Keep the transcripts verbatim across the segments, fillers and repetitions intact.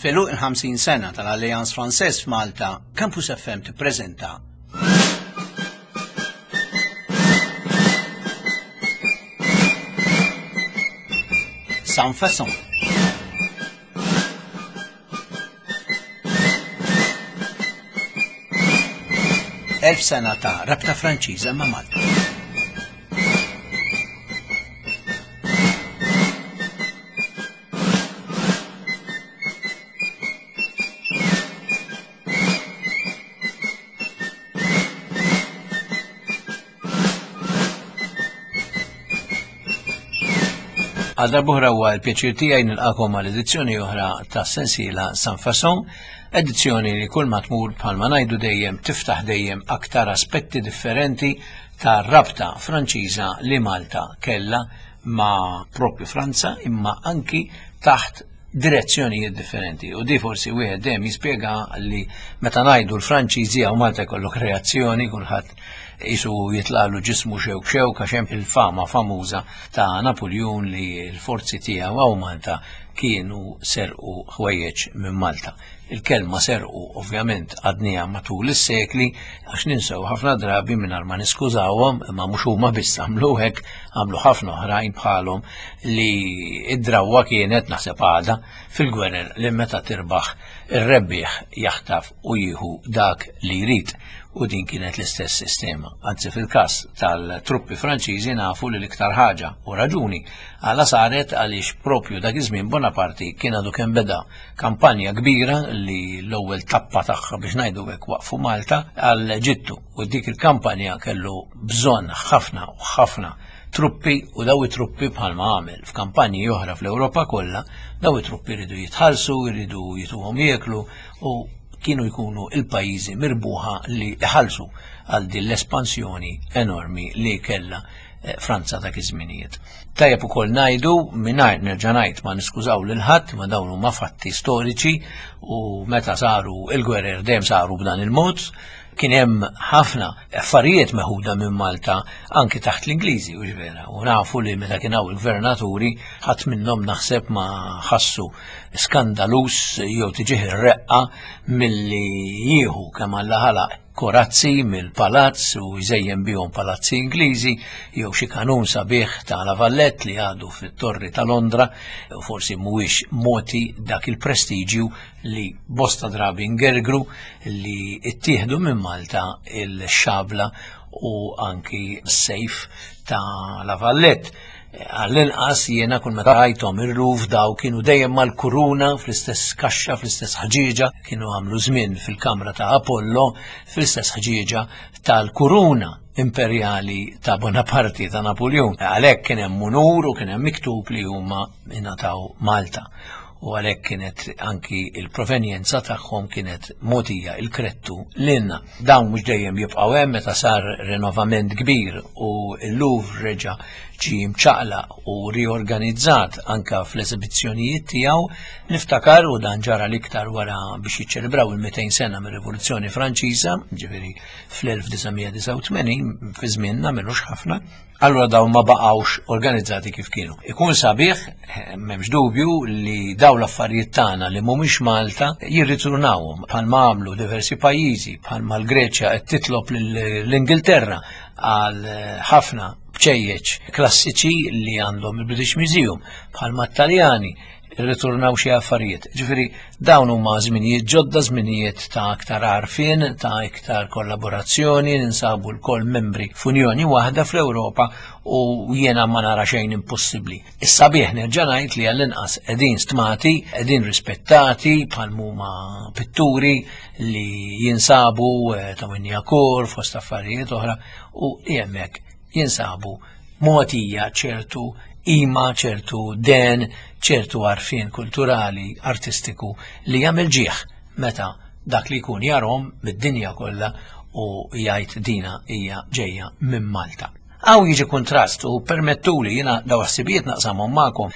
F'għeluq il-ħamsin sena tal-Alliance Française f'Malta, Campus F M tippreżenta Sans Façon. Elf sena ta' rabta Franċiża ma' Malta. Għal darb'oħra huwa l-pjaċir tiegħi nilqakom għal edizzjoni oħra ta' sensiela Sans Façon, edizzjoni li kull ma tmur bħalma ngħidu dejjem tiftaħ dejjem aktar aspetti differenti ta' rabta Franċiża li Malta kellha ma' propju Franza imma anki taħt direzzjonijiet differenti. U di forsi wieħed dejjem jispjega li meta ngħidu l-Franċiżi hawn Malta jkollok reazzjoni, kulħadd isu jitlalu ġismu xewk xewk għax hemm il-fama famuża ta' Napoleon li l-forzi tiegħu hawn Malta kienu serqu ħwejjeġ minn Malta. Il-kelma serqu ovvjament għadniha matul is-sekli għax ninsew ħafna drabi mingħajr ma niskużawhom, imma mhux huma biss għamlu hekk, għamlu ħafna oħrajn bħalhom li id-drawwa kienet naħseb għadha fil-gwerer li meta tirbaħ ir-rebbieħ jaħtaf u jieħu dak li jrid. U din kienet l-istess sistema. Anzi fil-każ tal-truppi Franċiżi nafu li l-iktar ħaġa u raġuni għala saret għaliex propju dak iż-żmien Bonaparte kien għadu kemm beda kampanja kbira li l-ewwel tappa tagħha biex ngħidu hekk waqfu Malta għal Eġittu, u dik il-kampanja kellu bżonn ħafna u ħafna truppi, u daw it-truppi bħalma għamel f'kampanji oħra fl-Ewropa kollha, daw it-truppi jridu jitħallsu, jridu jituhom jieklu, u kienu jkunu il-pajjiżi mirbuħa li iħallsu għal din l-espansjoni enormi li kellha, eh, Franza dak iż-żminijiet. Tajjeb ukoll ngħidu, mingħajr nerġa' ngħid ma niskużaw lil ħadd, ma dawn huma fatti storiċi u meta saru il-gwerer dejjem saru b'dan il-mod. Kien hemm ħafna affarijiet meħuda minn Malta anki taħt l-Ingliżi, u vera, u nafu li meta kien hawn il-gvernaturi ħadd minnhom naħseb ma ħassu skandalus jew tiġih ir-reqqa milli jieħu kemm Alla ħalaq korazzi mill-palazz u jżejjen bihom palazzi Ingliżi jew xi kanun sabiħ ta' La Valette li għadu fit-Torri ta' Londra, u forsi mhuwiex moti dak il-prestiġju li bosta drabi ngergru li ttieħdu minn Malta il-xabla u anki s-sejf ta' La Valette. Għall-inqas jiena kull meta rajthom ir-ruf daw kienu dejjem mal-kuruna fl-istess kaxxa, fl-istess ħġieġa, kienu għamlu żmien fil-kamra ta' Apollo fl-istess ħġieġa tal-kuruna imperjali ta' Bonaparte ta' Napoleon. Għalhekk kien hemm unur u kien hemm miktub li huma ingħataw Malta. U għalhekk kienet anki il-provenjenza tagħhom kienet mogħtija il-krettu lilna. Dawn mhux dejjem jibqgħu hemm meta sar rinnovament kbir u l-Louvre reġa' ġie mċaqlaq u riorganizzat anka fl-eżibizzjonijiet tiegħu. Niftakar, u dan ġara l-iktar wara biex jiċċelebraw il-mitejn sena mir-Rivoluzzjoni Franċiża, ġifieri fl-elf disa' mija disa' u tmenin, fi żmienna m'ilux ħafna, allura dawn ma baqgħux organizzati kif kienu. Ikun sabiħ, m'hemmx dubju, li dawn l-affarijiet tagħna li mhumiex Malta jirritornawhom bħalma għamlu diversi pajjiżi, bħalma l-Greċja qed titlob lill-Ingilterra għal ħafna bċejjeċ klassiċi li għandhom il-British Museum, bħalma t-Taljani irritornaw xi affarijiet. Ġifieri dawn huma żminijiet ġodda, żminijiet ta' aktar għarfien, ta' iktar kollaborazzjoni, ninsabu lkoll membri f'unjoni waħda fl-Ewropa u jiena ma nara xejn impossibbli. Issa bih nerġa' ngħid li għall-inqas qegħdin stmati, qegħdin rispettati bħal huma pitturi li jinsabu, eh, ta' Wignacourt fost affarijiet oħra, u li hemmhekk jinsabu mogħtija ċertu ima, ċertu den, ċertu għarfien kulturali, artistiku li jagħmel ġieħ meta dak li jkun jarhom mid-dinja kollha u jgħid dina hija ġejja minn Malta. Hawn jiġi kontrast u permettuli jiena daw ħsibijiet naqsamhom magħkom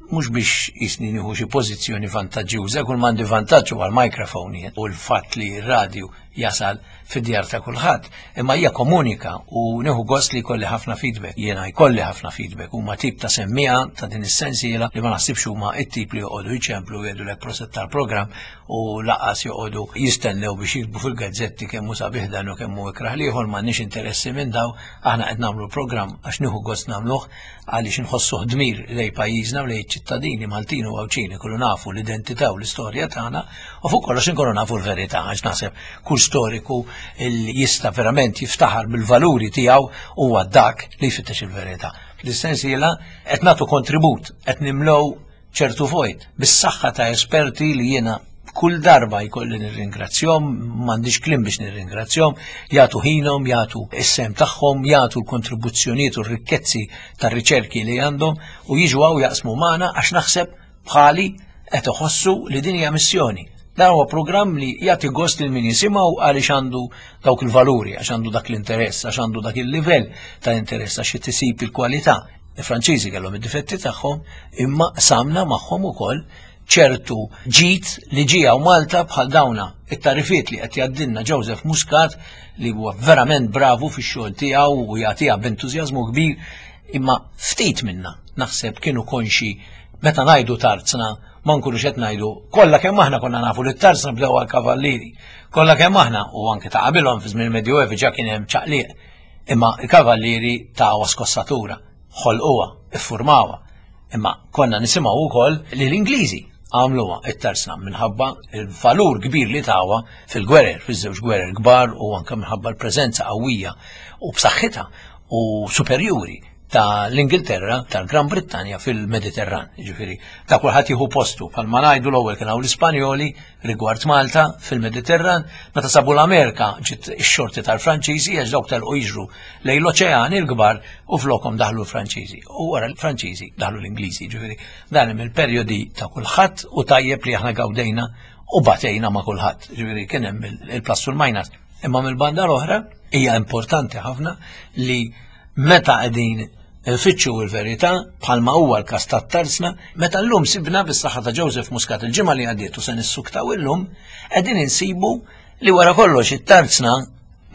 mhux biex jisni nieħu xi pożizzjoni vantaġġjuża, kull m'għandi vantaġġ huwa l-mikrofon u l-fatt li r-radju jasal fid-djar ta' kulħadd. Imma hija komunika u nieħu gost li jkolli ħafna feedback. Jiena jkolli ħafna feedback huma tip ta' semmiegħa ta' din is-sensiela li ma naħsibx huma t-tip li joqogħdu jċemplu jgħidulek proset tal-programm u laqas joqogħdu jistennew biex jiktbu fil-gazzetti kemm hu sabiħ dan u kemm hu ikrah l-ieħor, m'għandniex interessi minn daw, aħna qed nagħmlu programm għax nieħu gost nagħmluh għaliex inħossuh dmir lejn pajjiżna u lejn ċittadini Maltin u Għawdxin ikunu nafu l-identità u l-istorja tagħna u fuq kollox inkunu nafu l-verità għax naħseb kull storiku li jista' verament jiftaħar bil-valuri tiegħu huwa dak li jfittex il-verità. Fl-sensiela qed nagħtu kontribut, qed nimlew ċertu vojt bis-saħħa ta' esperti li jiena kull darba jkolli nirringrazzjahom, m'għandix kliem biex nirringrazzjahom, jagħtu ħinhom, jagħtu is-sehem tagħhom, jagħtu l-kontribuzzjonijiet u r-rikkezzi tar-riċerki li għandhom u jiġu hawn jaqsmu magħna għax naħseb bħali qed iħossu li din hija missjoni. Dan huwa programm li jagħti gost lil min jisimgħu għaliex għandu dawk il-valuri, għax għandu dak l-interess, għax għandu dak il-livell ta' interess, għax tisib il-kwalità. Il-Franċiżi kellhom id-difetti tagħhom, imma samna magħhom ukoll ċertu ġid li ġie hawn Malta bħal dawna it-tarifiet li qed jgħaddilna Joseph Muscat li huwa verament bravu fix-xogħol tiegħu u jagħtiha b'entużjażmu kbir, imma ftit minna naħseb kienu konxi meta ngħidu tarzna ma nkunux qed ngħidu kollha kemm aħna konna nafu li t-tarzna bdew għall-kavallieri, kollha kemm aħna u anke ta' qabilhom fi żmien il-Medjuevi ġa kien hemm ċaqliq, imma l-kavallieri tawha skossatura, ħolquha, iffurmawha. Imma konna nisimgħu wkoll li l-Ingliżi għamluha it-tarzna minħabba il-valur kbir li tawha fil-gwerer, fiż-żewġ gwerer kbar u anke minħabba l-preżenza qawwija u b'saħħitha u superjuri ta' l-Ingilterra, tal-Gran Brittanja fil-Mediterran. Ġifieri, ta' kulħadd jieħu postu. Bħalma ngħidu l-ewwel kien hawn l-Ispanjoli rigward Malta fil-Mediterran, meta sabu l-Amerika ġiet ix-xorti tal-Franċiżi għax dawk telqu jiġru lejn l-oċeani l-kbar u flokhom daħlu l-Franċiżi. U wara l-Franċiżi daħlu l-Ingliżi. Ġifieri, dan hemm il-perjodi ta' kulħadd u tajjeb li aħna gawdejna u batejna ma' kulħadd. Ġifieri kien hemm il-plus u l-minus. Imma mill-banda l-oħra hija importanti ħafna li meta qegħdin nfittxu l-verità bħalma huwa l-każ tat-tarzna, meta llum sibna bis-saħħa ta' Joseph Muscat il-ġimgħa li għaddiet u se nissuktaw illum, qegħdin insibu li wara kollox it-tarzna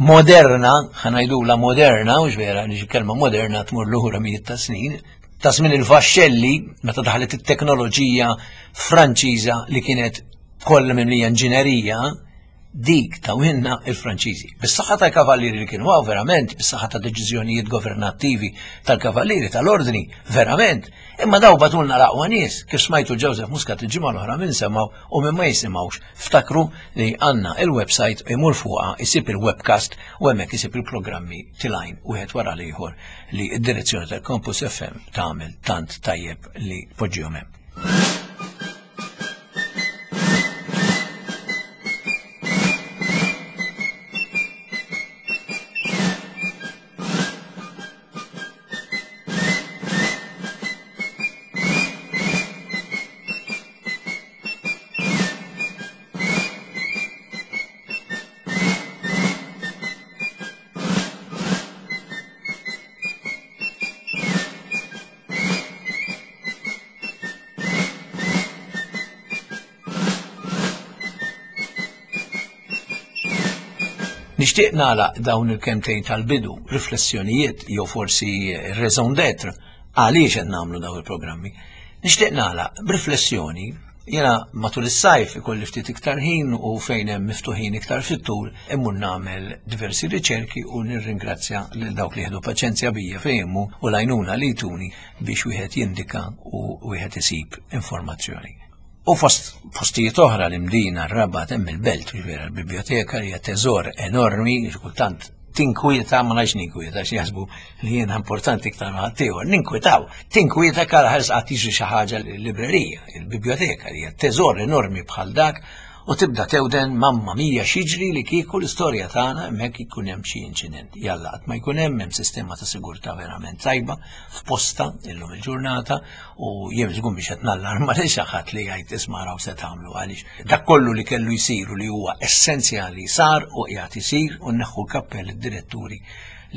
moderna, ħa ngħidulha moderna, u vera li kelma moderna tmur lura mijiet ta' snin, ta' żmien il-vaxxelli meta daħlet it-teknoloġija Franċiża li kienet kollha mimlija inġinerija, dik tawinna il-Franċiżi. Bis-saħħa tal-kavallieri li kienu hawn verament, bis-saħħa ta' deċiżjonijiet governattivi tal-kavallieri tal-ordni, verament. Imma daw bagħtulna l-aqwa nies, kif smajtu Joseph Muscat il-ġimgħa l-oħra minn semgħu u minn ma jisimgħux. Ftakru li għandna il-website imur fuqha isib il-webcast u hemmhekk isib il-programmi tilgħin wieħed wara l-ieħor li d-direzzjoni tal-Campus F M tagħmel tant tajjeb li poġġihom hemm. Nixtieq nagħlaq dawn il-kemtejn tal-bidu, riflessjonijiet jew forsi raison d'être għaliex qed nagħmlu dawn il-programmi. Nixtieq nagħlaq b'riflessjoni. Jiena matul is-sajf ikolli ftit iktar ħin u fejn hemm miftuħin iktar fit-tul immur nagħmel diversi riċerki u nirringrazzja lil dawk li jieħdu paċenzja bija fejn u l-għajnuna li jtuni biex wieħed jindika u wieħed isib informazzjoni. U fost postijiet oħra l-Imdina, r-Rabat, hemm il-Belt, vera l-biblioteka li hija teżor enormi, kultant tinkwieta, ma ngħidx ninkwieta, għax jaħsbu li jiena importanti iktar ma ħaddieħor, ninkwitaw. Tinkwieta kara ħares qatt jiġri xi ħaġa l-librerija, il-biblioteka li hija teżor enormi bħal dak, u tibda tewden mamma mia x'jiġri li kieku l-istorja tagħna hemmhekk ikun hemm xi inċident. Jalla qatt ma jkun hemm, hemm sistema ta' sigurtà verament tajba f'posta illum il-ġurnata u jien żgur biex qed nallarma lil xi ħadd li jgħid isma' raw se tagħmlu għaliex dak kollu li kellu jsir u li huwa essenzjali sar u qiegħed isir u nneħħu l-kappell id-diretturi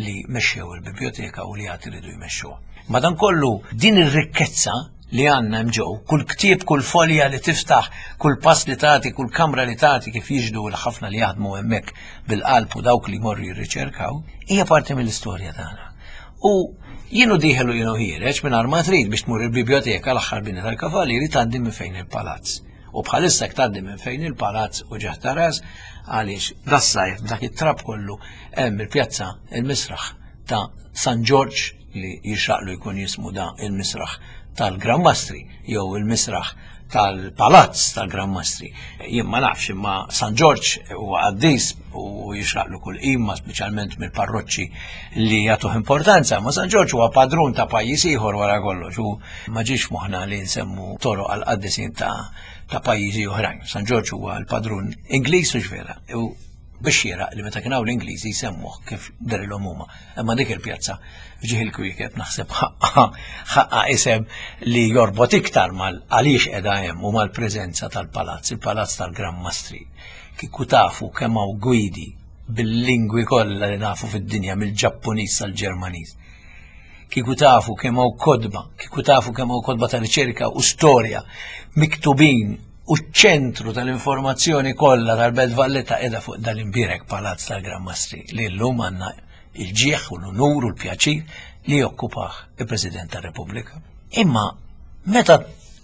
li mexxew il-biblioteka u li għad iridu jmexxuha. Madankollu din ir-rikkezza li għandna hemm ġew, kull ktieb, kull folja li tiftaħ, kull pass li tagħti, kull kamra li tagħti kif jiġdu l-ħafna li jaħdmu hemmhekk bil-qalb u dawk li jmorru jirriċerkaw, hija parti mill-istorja tagħna. U jienu dieħel u jienu ħiereġ minn ma trid biex tmur il-biblioteka l-aħħar bini tal-Kavallieri tgħaddi minn fejn il-palazz. U bħalissa tgħaddi minn fejn il-palazz u ġeħ taras għaliex das-sajf dak it-trab kollu hemm il-pjazza il-misraħ ta' San Ġorġ li jixraqlu jkun jismu da il-misraħ tal-Gran Mastri jew il-misraħ tal-palazz tal-Gran Mastri. Jien ma nafx imma San Ġorġ huwa qaddis u jixraqlu kull qima speċjalment mill-parroċċi li jagħtuh importanza, ma San Ġorġ huwa padrun ta' pajjiż ieħor wara kollox u ma ġiex moħħna li nsemmu toroq għal qaddisin ta' ta' pajjiżi oħrajn. San Ġorġ huwa l-padrun Ingliż u vera. U biex xieraq li meta kien hawn l-Ingliżi jsemmuh kif derilhom huma. Imma dik il-pjazza f'ġieħ il-kwiekeb naħseb ħaqqa isem li jorbot iktar mal għaliex qiegħda hemm u mal-preżenza tal-palazz, il-palazz tal-Gran Mastri. Kieku tafu kemm hawn gwidi bil-lingwi kollha li nafu fid-dinja mill-Ġappuniż sal-Ġermaniż. Kieku tafu kemm hawn kotba, kieku tafu kemm hawn kotba ta' riċerka u storja miktubin u ċ-ċentru tal-informazzjoni kollha tal-Belt Valletta qiegħda fuq dal-imbierek palazz tal-Gran Mastri li llum għandna il-ġieħ u l-unur u l-pjaċir li jokkupah il-President tar-Repubblika. Imma meta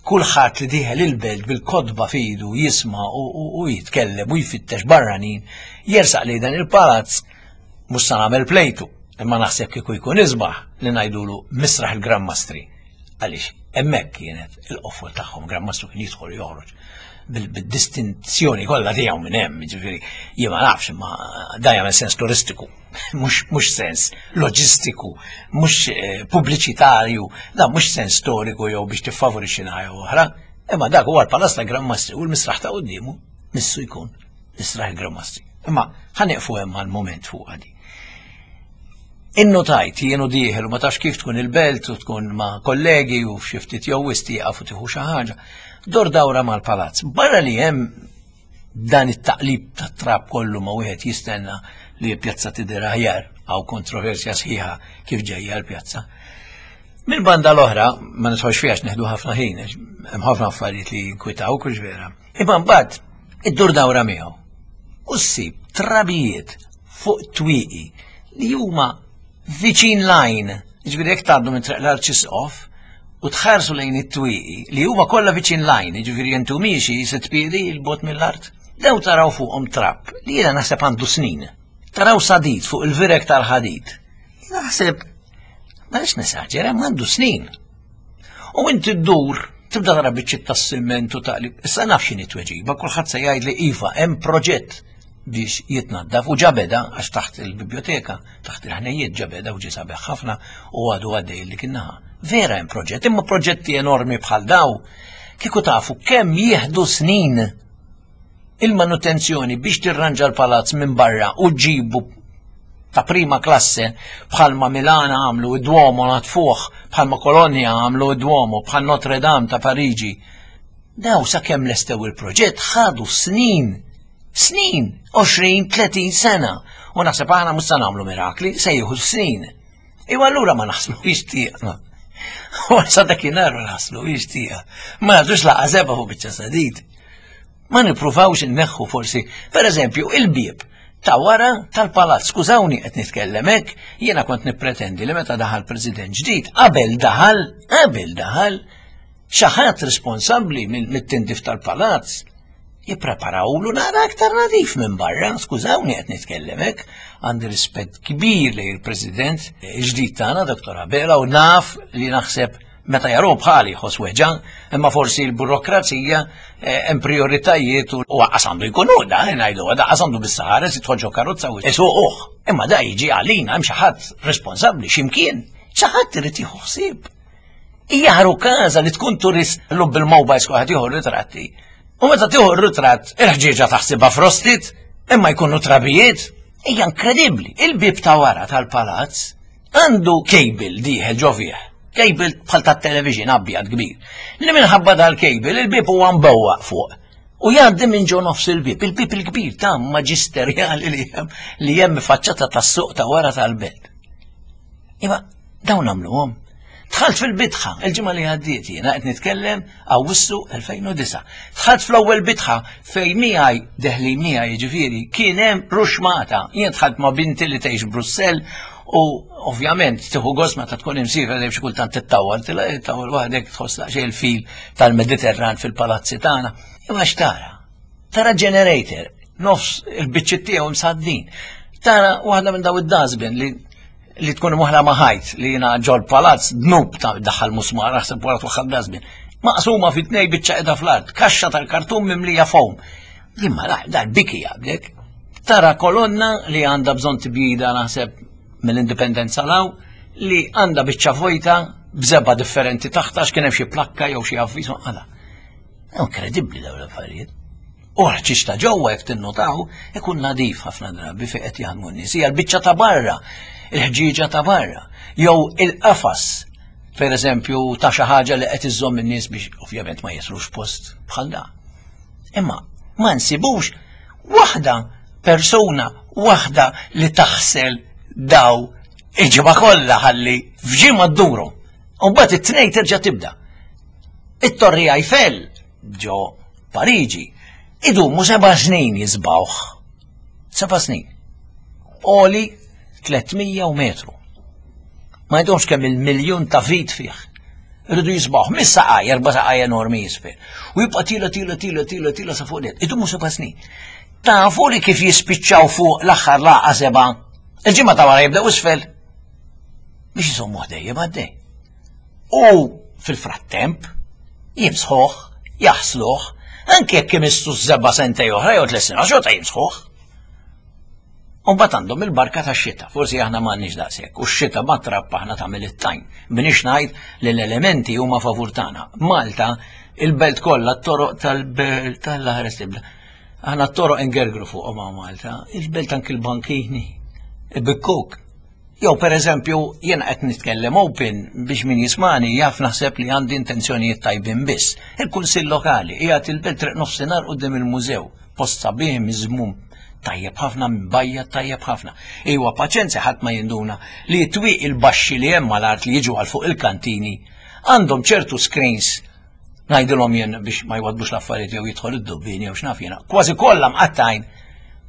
kulħadd li dieħel il-belt bil-kotba fidu jisma' u jitkellem u jfittex barranin, jersaq li dan il-palazz mhux sa nagħmel plejtu, imma naħseb kieku jkun isbaħ li ngħidulu misraħ il-Gran Mastri. Għaliex hemmhekk kienet il-qofol tagħhom, Gran Mastru kien jidħol joħroġ bil-distinzjoni kollha tiegħu minn hemm, jiġifieri jien ma nafx imma da jagħmel sens turistiku, mhux sens loġistiku, mhux pubbliċitarju, da mhux sens storiku jew biex tiffavorixxi naħa jew oħra, imma dak huwa l-Palazz ta' Gran Mastri u l-misraħ ta' quddiemu missu jkun misraħ il-Gran Mastri. Imma ħa nieqfu hemm għall-mument fuq għadi. Innotajt jienu dieħel u ma tafx kif tkun il-belt u tkun ma' kollegi u f'xi ftit jew wisq u tieħu xi ħaġa. Dor dawra mal-palazz. Barra li hemm dan it-taqlib tat-trab kollu ma wieħed jistenna li l-pjazza tidher aħjar għaw kontroversja sħiħa kif ġejja l-pjazza. Mill-banda l-oħra, ma nidħolx fiha neħdu ħafna ħin, hemm ħafna affarijiet li jinkwitaw kux vera. Imma mbagħad iddur dawra miegħu. U ssib trabijiet fuq twieqi li huma viċin lajn, ġifieri jekk tgħaddu minn Triq l-Arċisqof u tħarsu lejn it-twieqi li huma kollha viċin lajn, ġifieri jentu miexi sitt piedi 'l bogħod mill-art. Daw taraw fuqhom trab li jiena naħseb għandu snin. Taraw sadid fuq il-virek tal-ħadid. Naħseb, ma nix nesaġera, għandu snin. U inti ddur, tibda tara biċċiet tas-siment u taqlib. Issa naf x'inhi tweġiba, kulħadd se jgħid li iva hemm proġett biex jitnaddaf u ġabeda għax taħt il-biblioteka, taħt il-ħnejjiet ġabeda u ġie sabiħ ħafna u għadu għaddej li kiennaħa. Vera hemm proġett, imma proġetti enormi bħal daw, kieku tafu kemm jieħdu snin il-manutenzjoni biex tirranġa l-palazz minn barra u ġibu ta' prima klasse bħalma Milana għamlu id-Duomo natfuħ, bħalma Kolonja għamlu id-Duomo, bħal Notre Dame ta' Pariġi. Daw sa kemm lestew il-proġett ħadu snin. Snin, għoxrin, tletin sena. U naħseb aħna mhux se nagħmlu mirakli, se jieħu snin. Iwa allura ma naħslu jixtieqna. U sa dakinhar ma naħslu jixtieqa. Ma nagħtux laqa seba' fuq biċċa sadid. Ma nippruvawx inneħħu forsi, per eżempju, il-bieb ta' wara tal-palazz. Skużawni qed nitkellem hekk, jiena kont nippretendi li meta daħal President ġdid, qabel daħal, qabel daħal, xi ħadd responsabbli mit-tindif tal-palazz jippreparawlu nara aktar nadif minn barra, skużawni qed nitkellem hekk, għandi rispett kbir lejn il-President il-ġdid tagħna, Doktor Abela, u naf li naħseb meta jaru bħali jħoss weġa, imma forsi l-burokrazija hemm prioritajiet u qas għandu jkun hu da, ngħidu da qas għandu bis-saħares jidħol ġo karozza u isuquh. Imma da jiġi għalina hemm xi ħadd responsabbli x'imkien, xi ħadd irid jieħu ħsieb. Hija ħaru każa li tkun turist llum bil-mobiles kulħadd jieħu ritratti. U meta tieħu r-ritratt, il-ħġieġa taħsibha frostit, imma jkunu trabijiet. Hija inkredibbli. Il-bib ta' wara tal-palazz għandu cable dieħel ġo fih. Cable bħal tat-television abjad kbir. Li minħabba dal-cable il-bib huwa mbewwaq fuq. U jgħaddi minn ġo nofs il-bib, il-bib il-kbir ta' maġisterjali li hemm li hemm faċċata tas-suq ta' wara tal-belt. Imma dawn għamluhom. Dħalt fil-bitħa, il-ġimgħa li għaddiet jiena qed nitkellem Awwissu elfejn u disgħa. Dħalt fl-ewwel bitħa fejn miegħi deħli miegħi, jiġifieri kien hemm ruxmata. Jien dħalt ma' binti li tgħix Brussell u ovvjament tieħu gost meta tkun imsiefer li xi kultant tittawal, tittawal waħdek, tħoss daqsxejn il-feel tal-Mediterran fil-palazzi tagħna. Imma x'tara? Tara generator, nofs il-biċċiet tiegħu msaddin. Tara waħda minn daw id-dustbin li li tkun muħla maħajt li jina ġol palazz dnub ta' daħal musmar, aħseb wara twaħħal dustbin. Maqsuma fit tnej, biċċa qiegħda fl-art, kaxxa tal-kartun mimlija foam. Imma dal-biki jaqbdek. Tara kolonna li għandha bżonn tibjida, naħseb mill-indipendenza law, li għandha biċċa vojta b'żebgħa differenti taħta għax kien hemm xi plakka jew xi avviż għala. Inkredibbli dawn l-affarijiet. U ħċiċ ta' ġewwa, jekk tinnotaw, ikun nadif ħafna drabi fejn qed jaħdmu n-nies. Hija l-biċċa ta' barra, il-ħġieġa ta' barra, jew il-qafas, per eżempju, ta' xi ħaġa li qed iżżomm in-nies biex ovvjament ma jislux post bħal da. Imma ma nsibux waħda, persuna waħda li taħsel daw il-ġimgħa kollha ħalli f'ġimgħa dduru. U mbagħad it-tnejn terġa' tibda. It-Torri Eiffel ġo Pariġi idumu seba' snin jiżbgħuh. Seba' snin. Għoli tliet mija metru. Ma jdomx kemm il-miljun ta' vit fih. Irridu jiżbgħuh, mis saqaj, erba' saqaj enormi jisfel. U jibqa' tiela' tiela' tiela' tiela' tiela' sa fuq net. Idumu seba' snin. Tafu li kif jispiċċaw fuq l-aħħar laqa seba', il-ġimgħa ta' wara jibdew isfel. Biex jisommu dejjem għaddej. U fil-frattemp, jimsħuh, jaħsluh, anke jekk imistu żebgħa sentejn oħra jew tliet snin, xorta jimsħuh. U mbagħad għandhom il-barka ta' xita, forsi aħna m'għandniex daqshekk, u x-xita ma trab aħna tagħmel it-tajn. Minix ngħid li l-elementi huma favur tagħna. Malta, il-belt kollha, t-toroq tal-belt tal-ħares tibda. Aħna t-toroq ingergru fuq ma' Malta, il-belt anki l-bankini, il-bikkuk. Jew per eżempju, jiena qed nitkellem open biex min jismani jaf naħseb li għandi intenzjonijiet tajbin biss. Il-Kunsill Lokali qiegħed il-belt, Triq Nofsinhar quddiem il-mużew, post sabiħ miżmum tajjeb ħafna, bajja tajjeb ħafna. Iwa, paċenzja, ħadd ma jinduna li t-twieqi il-baxxi li hemm mal-art li jiġu għal fuq il-kantini għandhom ċertu screens, ngħidilhom jien, biex ma jwaddbux l-affarijiet jew jidħol id-dubbin jew x'naf jiena. Kważi kollha mqattajn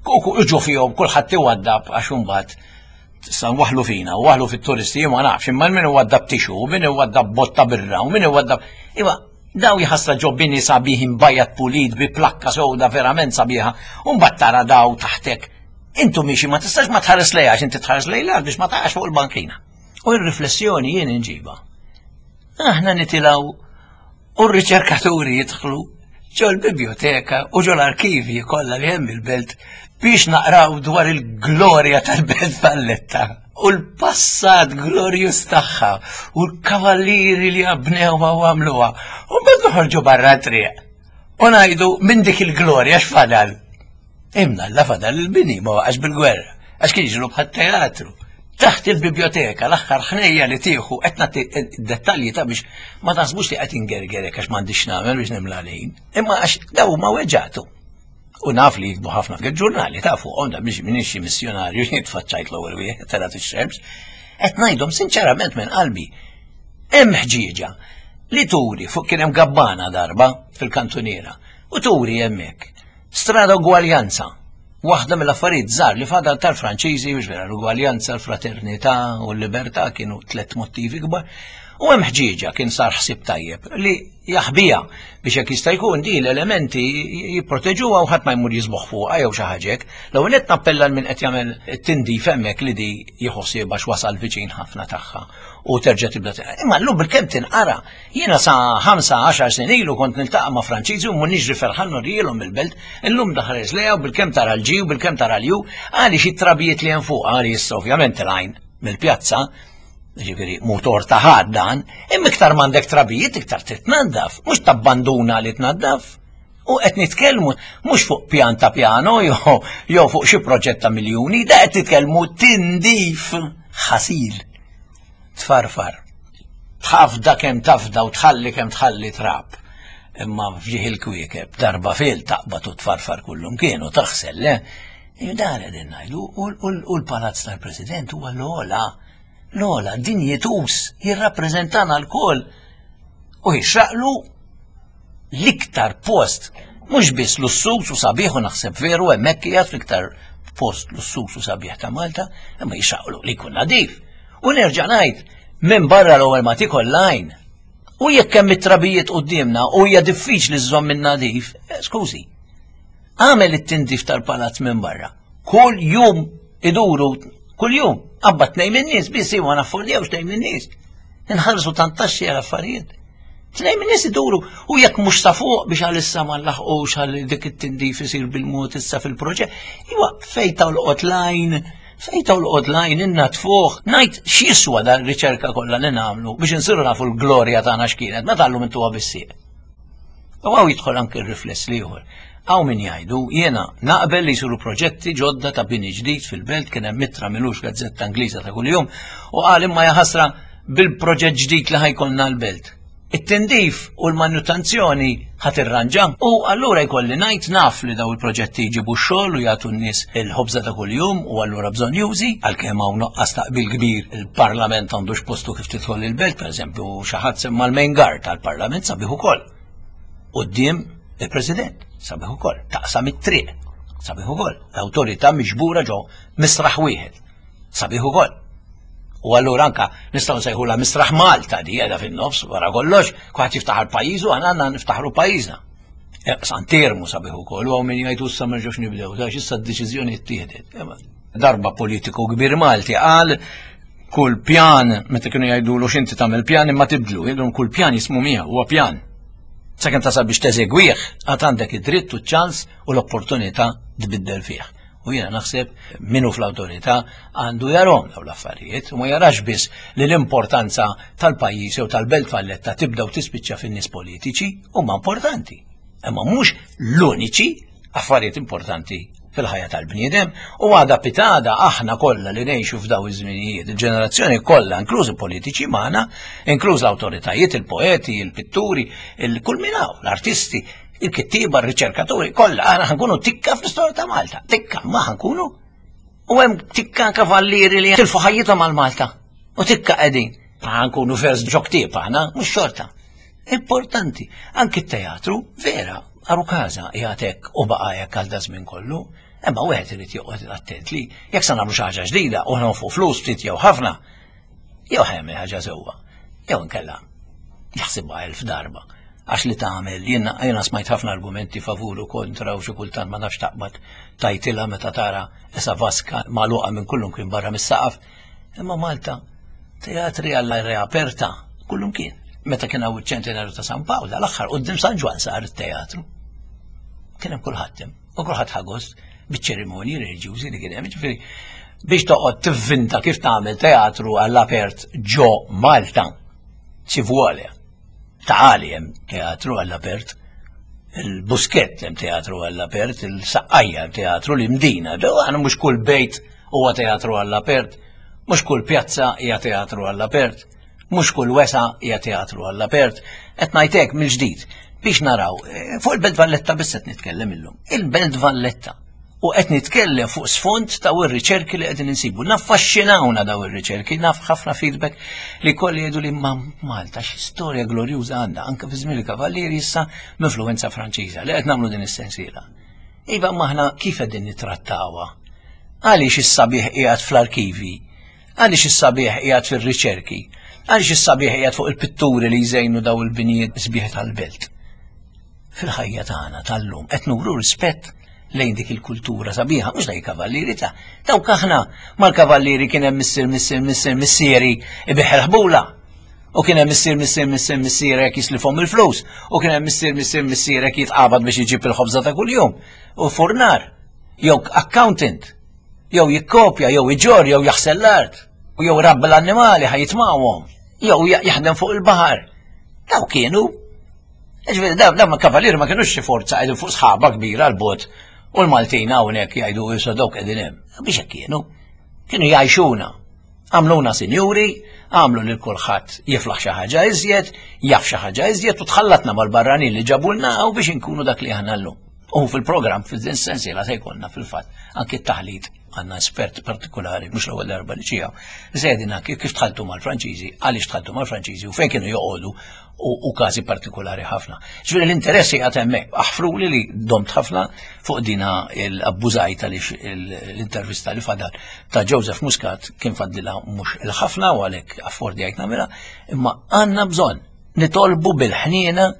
u ġu fihom kulħadd iwaddab, għax imbagħad sa waħlu fina, u waħlu fit-turisti, ma nafx, imma min iwaddab tissue, u min iwaddab botta birra, u min iwaddab. Iwa, daw jħassra ġo bini sabiħ imbajjat pulit bi plakka sewda verament sabiħa, u mbagħad tara daw taħtek. Intu miexi ma tistax ma tħares lejha, għax inti tħares lejha biex ma taqax fuq il-bankina. U r-riflessjoni jien inġiba. Aħna nitilgħu u r-riċerkaturi jidħlu ġol biblioteka u ġol arkivi kollha li hemm il-belt biex naqraw dwar il-glorja tal-Belt Valletta u l-passat glorjus tagħha u l-kavallieri li għabnewha u għamluha. U mbagħad noħorġu barra triq u ngħidu, minn dik il-glorja x'fadal? Imma la fadal il-bini ma waqax bil-gwerra, għax kien jiġru bħat-teatru. Taħt il-biblioteka, l-aħħar ħnejja li tieħu, qed nagħti dettalji ta' biex ma taħsbux li qed ingergerek għax m'għandix nagħmel biex nimla lejn. Imma għax daw ma weġġatu. U naf li jikbu ħafna fil-ġurnali ta' fuqhom da biex minix xi missjonarju jitfaċċajt l-ewwel wieħed telgħet ix-xemx. Qed ngħidhom sinċerament minn qalbi. Hemm ħġieġa li turi fuq, kien hemm gabbana darba fil-kantuniera u turi hemmhekk. Strada Ugwaljanza. Waħda mill-affarijiet żgħar li fadal tal-Franċiżi, biex vera l-ugwaljanza, l-fraternità u l-libertà kienu tliet motivi kbar. U hemm ħġieġa, kien sar ħsieb tajjeb li jaħbija biex jekk jista' jkun di l-elementi jipproteġuha u ħadd ma jmur jiżboħ fuqha jew xi ħaġa hekk. L-ewwel qed nappella lil min qed jagħmel it-tindif hemmhekk li di jieħu għax wasal viċin ħafna tagħha u terġa' tibda. Imma llum bil-kemm tinqara. Jiena sa ħamsa għaxar snin ilu kont niltaqa' ma' Franċiżi u niġri ferħan nurielhom il-belt, illum daħres lejha u bil-kemm tara l-G u bil-kemm tara l-U, għaliex it-trabijiet li hemm fuq, għaliex ovvjament l-għajn mill-pjazza, ġifieri motor ta' ħadd dan, imma iktar m'għandek trabijiet iktar titnaddaf, mhux tabbanduna li tnaddaf. U qed nitkellmu mhux fuq pjan ta' piano jew jew fuq xi proġett ta' miljuni, da qed nitkellmu tindif, ħasil, tfarfar. Tafda kemm tafda u tħalli kemm tħalli trab. Imma fġieħ il-kwiekeb, darba fil taqbad u tfarfar kullum kienu taħsel, le? Dan qegħdin ngħidu, u l-palazz tal-President huwa l-ogħla L-ogħla dinjituż jirrappreżentana lkoll u jixraqlu l-iktar post, mhux biss lussuż u sabiħ, u naħseb veru hemmhekk qiegħed fl-iktar post lussuż u sabiħ ta' Malta, imma jixraqlu li jkun nadif. U nerġa' ngħid, minn barra l-ewwel ma tikol l-għajn. U jekk hemm it-trabijiet quddiemna u hija diffiċli żżomm minn nadif, eh, skużi. Għamel it-tindif tal-palazz minn barra. Kull jum iduru, kull jum, abba tnejn minn nies biss iwa naffordjawx tnejn minn nies. Inħallsu tant taxxi għal affarijiet. Tnejn minn nies iduru u jekk mhux sa fuq biex għalissa ma nlaħqux għal dik it-tindif isir bil-mod issa fil-proġett. Iwa fejn tolqot l-għajn, fejn tolqot l-għajn innaddfuh, ngħid x'jiswa dan riċerka kollha li nagħmlu biex insiru nafu l-glorja tagħna x'kienet, meta llum intuha bis-sieq. U hawn jidħol anke r-rifless l-ieħor. Hawn min jgħidu, jiena naqbel li jsiru proġetti ġodda ta' bini ġdid fil-belt, kien hemm ittra m'ilux gazzetta Ingliża ta' kuljum u qal imma jaħasra bil-proġett ġdid li ħa jkollna l-belt. It-tindif u l-manutenzjoni ħa tirranġa u allura jkolli ngħid naf li daw il-proġetti jġibu x-xogħol u jagħtu n-nies il-ħobża ta' kuljum u allura bżonnjużi, għalkemm hawn nuqqas taqbil kbir il-Parlament għandux postu kif tidħol il-belt, pereżempju xi ħadd semma l-main guard tal-Parlament sabiħ ukoll. Quddiem il-President sabiħ ukoll, taqsam it-triq sabiħ ukoll, l-awtorità miġbura ġo misraħ wieħed sabiħ ukoll. U allura anka nistgħu nsejħula misraħ Malta di qiegħda fin-nofs wara kollox, kulħadd jiftaħar pajjiżu, aħna għandna niftaħru pajjiżna. Eh, Santermu sabiħ ukoll, u hawn min jgħidu issa ma nerġgħux nibdew, għax issa d-deċiżjoni ttieħdet. Darba politiku kbir Malti qal kull pjan, meta kienu jgħidulu x'inti tagħmel pjan imma tibdlu, jgħidulhom kull pjan jismu miegħu huwa pjan. Sakemm tasal biex teżegwih, għad għandek id-dritt u ċ-ċans u l-opportunità tbiddel fih. U jiena naħseb minnu fl-awtorità għandu jarahom daw l-affarijiet u ma jarax biss li l-importanza tal-pajjiż jew tal-Belt Valletta tibda u tispiċċa fin-nies politiċi huma importanti. Imma mhux l-uniċi affarijiet importanti fil-ħajja tal-bniedem u għada pitgħada aħna kollha li ngħixu f'daw iż-żminijiet, il-ġenerazzjoni kollha, inklużi politiċi magħna, inkluż l-awtoritajiet, il-poeti, il-pitturi, il-kull min hawn, l-artisti, il-kittiba, il-riċerkaturi, kollha aħna ħa nkunu tikka fl-istorja ta' Malta. Tikka, ma ħa nkunu. U hemm tikka kavallieri li tilfu ħajjithom għal Malta. U tikka qegħdin. Ħa nkunu vers ġo ktieb aħna, mhux xorta. Importanti, anki t-teatru, vera, għarukaża jagħtek u baqa' hekk għal daż-żmien kollu, imma wieħed irid joqgħod attent li jekk se nagħmlu xi ħaġa ġdida u nonfqu flus ftit jew ħafna, jew ħa jagħmel ħaġa sewwa, jew inkella jaħsibha elf darba. Għax li tagħmel, jiena jiena smajt ħafna argumenti favur u kontra u xi kultant ma nafx taqbad tajtilha meta tara esa vaska magħluqa minn kullum kien barra mis-saqaf. Imma Malta teatri għall aperta kullum kien. Meta kien hawn iċ-ċentenarju ta' San Pawl, l-aħħar quddiem San Ġwann sar it-teatru. Kien hemm kulħadd hemm, u kulħadd ħa gost biċ-ċerimonji reliġjużi li kien hemm. Ġifieri biex toqgħod tivvinta kif tagħmel teatru għall-apert ġo Malta, ci vuole. Taħali hemm teatru għall-apert, il-Buskett hemm teatru għall-apert, il-Saqqajja hemm teatru, l-Imdina, għana mhux kull bejt huwa teatru għall-apert, mhux kull pjazza hija teatru għall-apert, mhux kull wesa hija teatru għall-apert. Qed ngħidlek mill-ġdid biex naraw, eh, fuq il-Belt Valletta biss qed nitkellem illum. Il-Belt Valletta. U qed nitkellem fuq sfond ta' ir-riċerki li qegħdin insibu. Naffaxxinawna daw ir-riċerki, naf ħafna feedback li kolli jgħidu li ma Malta xi storja glorjuża għandha anke fi żmien il-Kavallieri issa m-influenza Franċiża li qed nagħmlu din is-sensiela. Iva maħna kif qegħdin nittrattawha? Għaliex is-sabiħ qiegħed fl-arkivi? Għaliex is-sabiħ qiegħed fir-riċerki? Għaliex is-sabiħ qiegħed fuq il-pitturi li jżejnu daw il-binijiet sbieħ tal-belt? Fil-ħajja tagħna tal-lum qed nuru rispett lejn dik il-kultura sabiħa, mhux daj kavallieri ta' dawk aħna mal-kavallieri kien hemm missier missier missier missieri ibiħ il-ħbula. U kien hemm missier missier missier missierek jislifhom il-flus. U kien hemm missier missier missierek jitqabad biex iġib il-ħobża ta' kuljum. U furnar, jew accountant, jew jikkopja, jew iġor, jew jaħsel l-art, u jew rabbi l-annimali ħa jitmawhom, jew jaħdem fuq il-baħar. Daw kienu. Ġifieri, daw ma kavallieri ma kienux xi forza qegħdin fuq sħaba kbira l-bot. U l-Maltin hawnhekk jgħidu issa dawk qegħdin hemm. Biex hekk kienu. Kienu jgħixuna. Għamluna sinjuri, għamlu lil kulħadd jiflaħ xi ħaġa iżjed, jaf xi ħaġa iżjed u tħallatna mal-barranin li ġabulna u biex inkunu dak li aħna llum. U fil-programm fil-din sensiela se jkollna fil-fatt anki t-taħlit Għandna espert partikolari, mhux l-ewwel darba li ġie hawn, żedina kif tħaltu mal-Franċiżi, għaliex tħaltu mal-Franċiżi u fejn kienu joqogħdu u każi partikolari ħafna. Ġifieri l-interessi għad hemmhekk. Aħfruli li domt ħafna fuq dina l-abbużajt għaliex l-intervista li fadal ta' Joseph Muscat kien fadlilha mhux il-ħafna u għalhekk affordjajt nagħmilha, imma għandna bżonn nitolbu bil-ħniena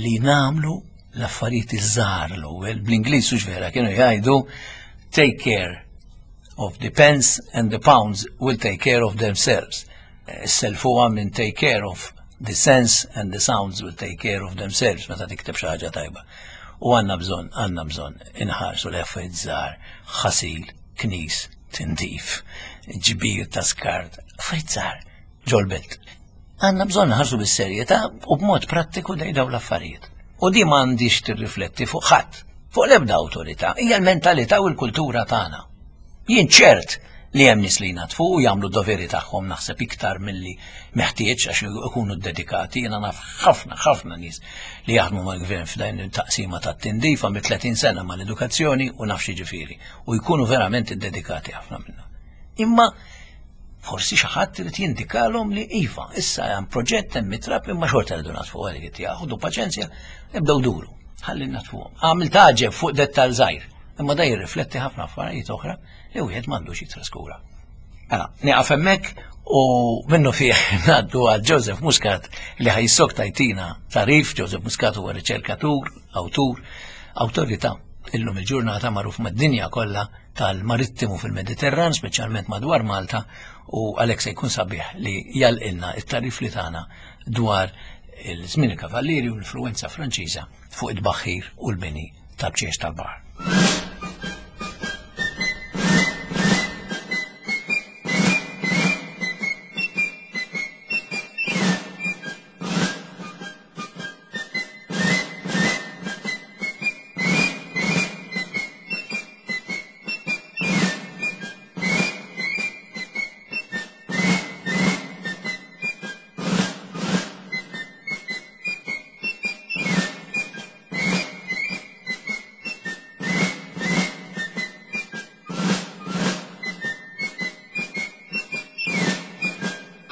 li nagħmlu l-affarijiet iż-żgħar l-ewwel. Bl-Ingliż hux vera kienu jgħidu take care of the pence and the pounds will take care of themselves. Selfuha minn take care of the sense and the sounds will take care of themselves meta tikteb xi ħaġa tajba. U għandna bżonn, għandna bżonn inħarsu l-affarijiet żgħar, ħasil, knis, tindif, ġbir ta' skart, affarijiet żgħar ġol-belt. Għandna bżonn nħarsu bis-serjetà u b'mod prattiku dej dawn l-affarijiet. U di m'għandix tirrifletti fuq ħadd, fuq l-ebda awtorità, hija l-mentalità u l-kultura tagħna. Jien ċert li hemm nies li jnatfu u jagħmlu d-doveri tagħhom naħseb iktar milli meħtieġ għax ikunu dedikati. Jiena naf ħafna ħafna nies li jaħdmu mal-gvern f'dan il-taqsima tat-tindif għamil tletin sena mal-edukazzjoni u naf xi ġifieri u jkunu verament iddedikati ħafna minnhom. Imma forsi xi ħadd irid jindikalhom li iva, issa hemm proġett hemm mitrab imma xorta rridu natfu għalik ħudu paċenzja, nibdew duru, ħalli natfuhom. Għamil taġeb fuq dettal żgħir, imma da jirrifletti ħafna affarijiet oħra li wieħed m'għandux jitraskura. Mela, nieqaf hemmhekk u minnu fih ngħaddu għal Joseph Muscat li ħajsok tajtina tarif. Joseph Muscat huwa riċerkatur, awtur, awtorità illum il-ġurnata magħruf mad-dinja kollha tal-marittimu fil-Mediterran, speċjalment madwar Malta, u għalhekk se jkun sabiħ li jalqilna it-tarif li tagħna dwar il-żmien il-Kavallieri u l-influenza Franċiża fuq it-tbaħħir u l-bini tal-bċiex tal-baħar.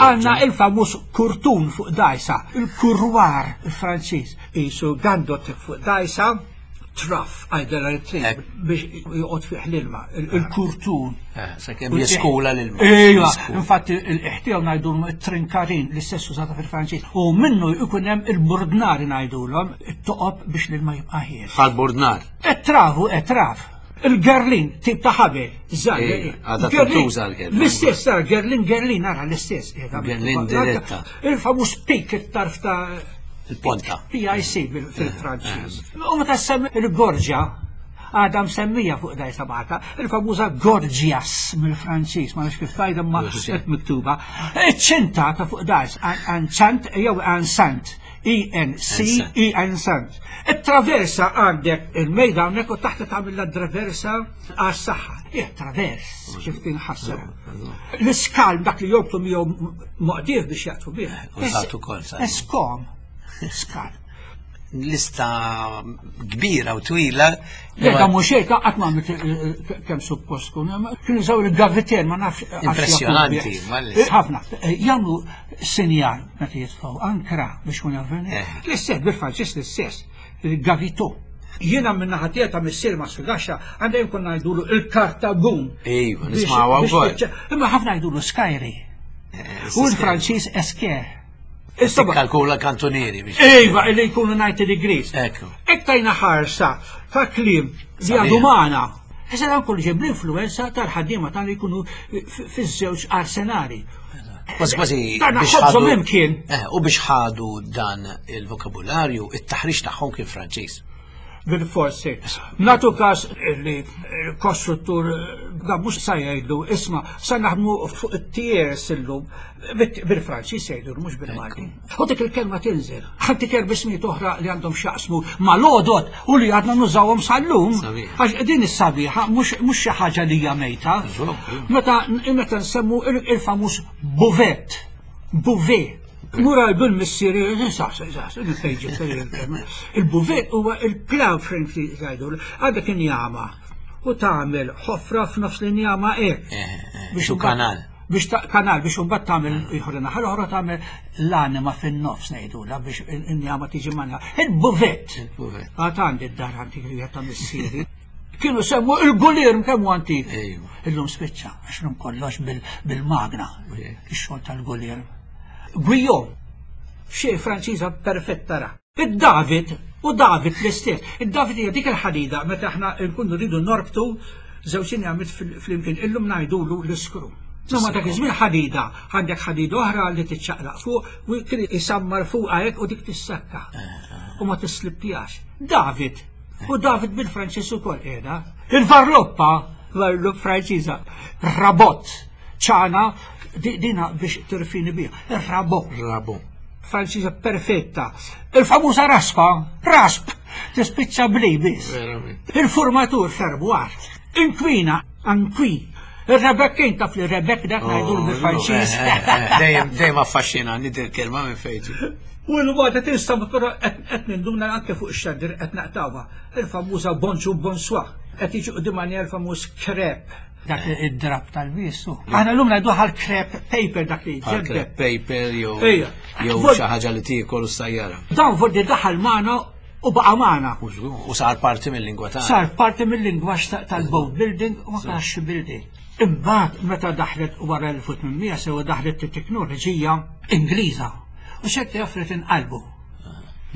Għanna il-famuż kurtun fuq dajsa, il-kurwar il-Franċiż, jisu gandot fuq dajsa, traf għajdela l-trin biex joqgħod fih l-ilma, il-kurtun. Sakemm jeskula l-ilma. Ejwa, infatti il-ħtiew ngħidulhom it-trinkarin l-istess użata fil-Franċiż. U minnu jkun hemm il-burdnari ngħidulhom, it-toqob biex l-ilma jibqa' ħiel. Bħal-burdnar. It-travu, it-traf. Il-gerlin, tip ta' ħabel, żgħar. Għadha tintuża l-gerlin. L-istess, sar, gerlin, gerlin, ara l-istess. Gerlin diretta. Il-famuż pik, it-tarf ta' il-ponta. P I C fil-Franċiż. U meta semmi il-gorġa, għadha msemmija fuq dajsa Malta, il-famuża gorgias mill-Franċiż, ma nafx kif tajda ma qed miktuba. Iċ-ċinta ta' fuq dajs, anċant jew ansant. E N C E N Sant. It-traversa għandek il-mejda hawnhekk u taħt tagħmel la traversa għas-saħħa. Hija travers kif tinħasseb. L-iskalm dak li jorbtu miegħu moqdief biex jaqtfu bih. Użat ukoll. Eskom. Skalm. Lista kbira u twila. Le, da mhux hekk, qatt ma għamilt kemm suppost tkun. Kienu jużaw il-gaviter, ma nafx. Impressjonanti, ħafna. Jagħmlu sinjal meta jitfgħu ankra biex kun javveni. L-istess bil-Franċiż l-istess, il-gavito. Jiena minn naħa tiegħi ta' missier ma' Sugaxxa għandha jkun ngħidulu il-Kartagun. Ejwa, nismgħuha wkoll. Imma ħafna jgħidulu Skyri. U l-Franċiż Esker. Kalkula kantonieri biex. Ejwa, li jkunu ninety degrees. Ekku. Hekk tajna ħarsa ta' kliem li għadu magħna. Issa dan kollu ġej bl-influenza tal-ħaddiema tagħna li jkunu fiż-żewġ arsenali. Kważi kważi Dan biex ħobżhom ħadu imkien. Eh, u biex ħadu dan il-vokabularju, it-taħriġ tagħhom kien Franċiż. Bil-forsi. Natu każ li l-kostruttur da mhux sa jgħidu, isma' sa naħdmu fuq it-tiers illum bil-Franċiż jgħidu mhux bil-Malti. U dik il-kelma tinżel. Ħantik erba' ismijiet oħra li għandhom x'jaqsmu mal-għodot u li għadna nużawhom sal-lum. Sabiħ. Għax din is-sabiħa mhux, mhux xi ħaġa li hija mejta. Eżatt. Meta, meta nsemmu il-, il-famuż buvet, buvet. Mura bil-missieri, sa, sa, sa, sa, il-buvet huwa il-plow frame li jgħidu, għadha kien jama. U tagħmel ħofra f'nofs l-injama hekk. Biex kanal. Biex kanal biex imbagħad tagħmel ieħor naħa l-oħra tagħmel l-anima fin-nofs ngħidulha biex injama tiġi manja. Il-buvett. Il-buvett. Għad għandi d-dar antik ta' missieri. Kienu semmu il-gulir kemm hu antik. Illum spiċċa, għax illum kollox bil-magna. Ix-xogħol tal-gulir. Guillaume, xi Franċiża perfetta ra. Id-David, u David l-istess. Id-David hija dik il-ħadida meta aħna nkunu rridu norbtu żewġ injamiet flimkien illum ngħidulu l-iskru. No, ma dak iż-żmien ħadida, għandek ħadida oħra li tiċċaqlaq fuq u kien isammar fuqha hekk u dik tissakka. U ma tislippjax. David, u David bil-Franċiż ukoll qiegħda. Il-varloppa, varlop Franċiża, rabot, ċana, dina biex tirfini biha. Ir-rabot. Rabo. Franċiża perfetta. Il-famuża raspa, rasp, tispiċċa bli biss. Il-formatur ferbuar. Inkwina, anqui. Il-Rebekkin taf li Rebek dak ngħidu bil-Franċiż. Dejjem dejjem affaxxinani din il-kelma minn fejn. U l-wada tinsta però qed ninduna anke fuq ix-xandir qed naqtawha. Il-famuża bonġu bonsoir. Qed jiġi quddiem il-famuż krep. Dak id-drab tal-bisu. Aħna llum ngħidu għal crepe paper dak li ġebbe. Crepe paper jew jew xi ħaġa li tiekol u s-sajjara. Dan vordi daħal magħna u baqa' magħna. U sar parti mill-lingwa tagħna. Sar parti mill-lingwaġġ tal-boat building u ma building. Imbagħad meta daħlet wara elf u tmien mija sewa daħlet it-teknoloġija Ingliża. U xed jaffret inqalbu.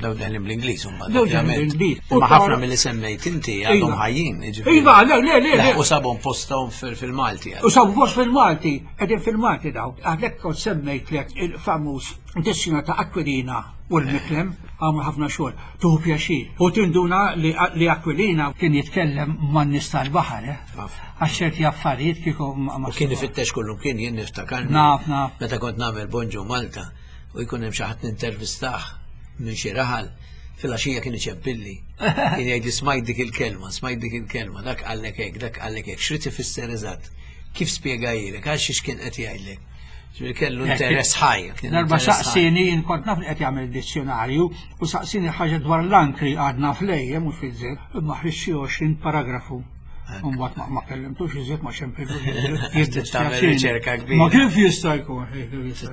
Daw daħlin bl-Ingliż imbagħad. Daw daħlin bl-Ingliż. Ma ħafna milli semmejt inti għadhom ħajjin, jiġifieri. Iva, le, le, le. U sabhom posthom fil-Malti. U sabu post fil-Malti, qegħdin fil-Malti daw. Għalhekk kont semmejtlek il-famuż dissina ta' Aquilina u l-Miklem għamlu ħafna xogħol. Tuħu pjaċir. U tinduna li Aquilina kien jitkellem man-nies tal-baħar, eh? Għax ċerti affarijiet kieku ma. Kien ifittex kullum kien jien niftakar. Naf, naf. Meta kont nagħmel Bonġu Malta u jkun hemm xi ħadd nintervistah minn xi raħal, fil-għaxija kien iċempilli. Kien jgħidli smajt dik il-kelma, smajt dik il-kelma, dak qallek hekk, dak qallek hekk, x'rid ifisser eżatt? Kif spjegajilek, għal xiex kien qed jgħidlek? Ġifieri kellu interess ħaj. Darba saqsini, jien kont naf li qed jagħmel dizzjonarju, u saqsini ħaġa dwar l-ankri għadna flejjem mhux fiż-żejt, imma ħriġt xi għoxrin paragrafu. Mbagħad ma kellimtux iżjed ma xempillu. Tagħmel riċerka kbira. Ma kif jista' jkun?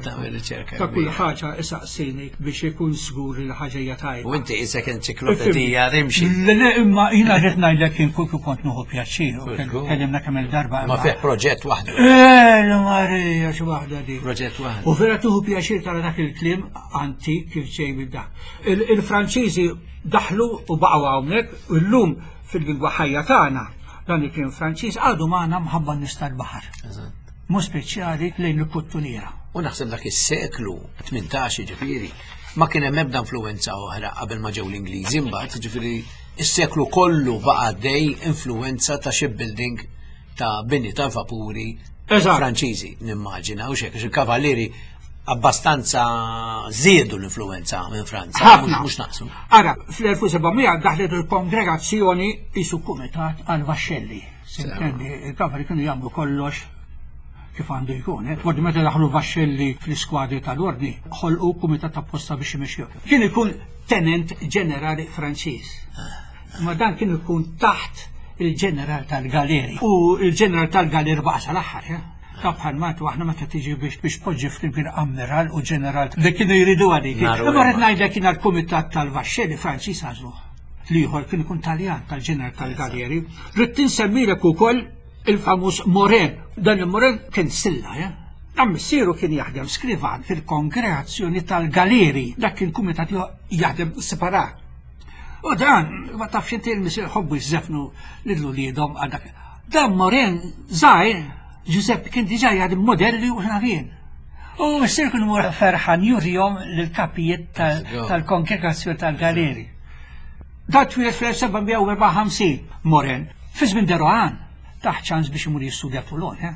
Tagħmel riċerka. Ta' kull ħaġa isaqsini biex ikun żgur li ħaġa hija tajba. U inti isek enċiklopedija rimxi. Le le imma jiena rrid ngħidlek kien kull kont nieħu pjaċir u kellimna kemm il-darba. Ma fih proġett waħdu. Eh, Marija xi waħda di. Proġett waħdu. U vera tieħu pjaċir tara dak il-kliem antik kif ġej minn dak. Il-Franċiżi daħlu u baqgħu hawnhekk u llum fil-lingwa ħajja tagħna. Dan il-kliem Franċiż għadu magħna mħabba nies tal-baħar. Mhux speċjali lejn il-kuttuniera. U naħseb dak is-seklu tmintax ġifieri ma kien hemm ebda influenza oħra qabel ma ġew l-Ingliżi imbagħad, ġifieri is-seklu kollu baqa' għaddej influenza ta' shipbuilding ta' bini ta' vapuri Franċiżi, nimmaġina, u xek, il-kavallieri abbastanza żiedu l-influenza minn Franza, mhux naqsu. Ara, fl-elf u seba' mija daħlet il-kongregazzjoni isu kumitat għal vaxxelli. Sintendi, il-kavalli kienu jagħmlu kollox kif għandu jkun. Eh? Fordi meta daħlu vaxxelli fl-iskwadri tal-ordni, ħolqu kumitat apposta biex imexxu. Kien ikun tenent ġenerali Franċiż. Ma dan kien ikun taħt il-ġeneral tal-galeri. U il-ġeneral tal-galeri baqa' sal-aħħar, eh? Ta' bħal matu aħna meta tiġi biex biex poġġi flimkien ammiral u ġeneral li kienu jridu għalik. Imma rrid ngħidlek kien għall-kumitat tal-vaxxelli Franċiż għażluh. L-ieħor kien ikun Taljan tal-ġeneral tal-galeri. Rrid insemmilek ukoll il-famuż Moren. Dan il-Moren kien silla, eh? Dan missieru kien jaħdem skrivan fil-kongregazzjoni tal-galeri. Dak kien kumitat jaħdem separat. U dan, ma tafx inti l-missier ħobbu jżefnu lil uliedhom għal dak. Dan Moren żgħir Giuseppe kien diġà jaħdem modelli u xnafien. U missier kien mur ferħan jurihom lill-kapijiet tal-kongregazzjoni tal-galeri. Dat twieled fl-elf seba' mija u erbgħa u ħamsin Moren. Fi żmien de Rohan taħt ċans biex imur jistudja Toulon, eh?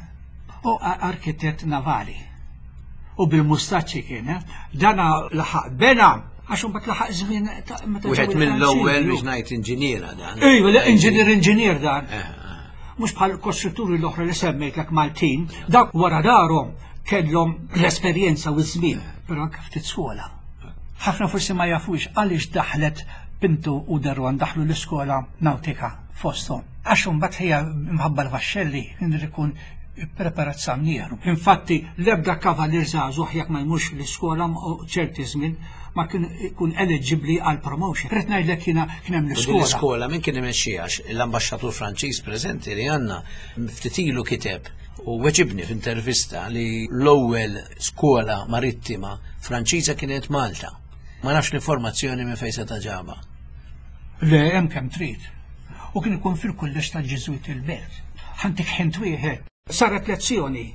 U arkitett navali. U bil-mustaċċi kien, eh? Dana laħaq bena għax imbagħad laħaq żmien ta' meta ġew Wieħed mill-ewwel il-Franċiżi. biex ngħid inġiniera dan. Ejwa, le, inġinier, inġinier dan. Eh, eh. Mhux bħal kostrutturi l-oħra li semmejtlek Maltin, dak wara darhom kellhom l-esperjenza u ż-żmien, però anke ftit skola. Ħafna forsi ma jafux għaliex daħlet Pinto u de Rohan daħlu l-iskola nautika fosthom. Għax imbagħad hija mħabba l-vaxxelli kien ikun preparat samnieru. Infatti l-ebda kavalier żagħżugħ jekk ma jmurx l-iskola ċerti żmien ma kien ikun eligibbli għal promotion. Rrid ngħidlek jiena kien hemm l-iskola. L-iskola min kien imexxiha? L-ambaxxatur Franċiż preżenti li għandna ftit ilu kiteb u weġibni f'intervista li l-ewwel skola marittima Franċiża kienet Malta. Ma nafx l-informazzjoni minn fejn se ġaba. Le, hemm kemm trid. U kien ikun fil-kulleġġ tal-Ġiżwit il-Belt. Ħantik ħint wieħed. Saret lezzjoni.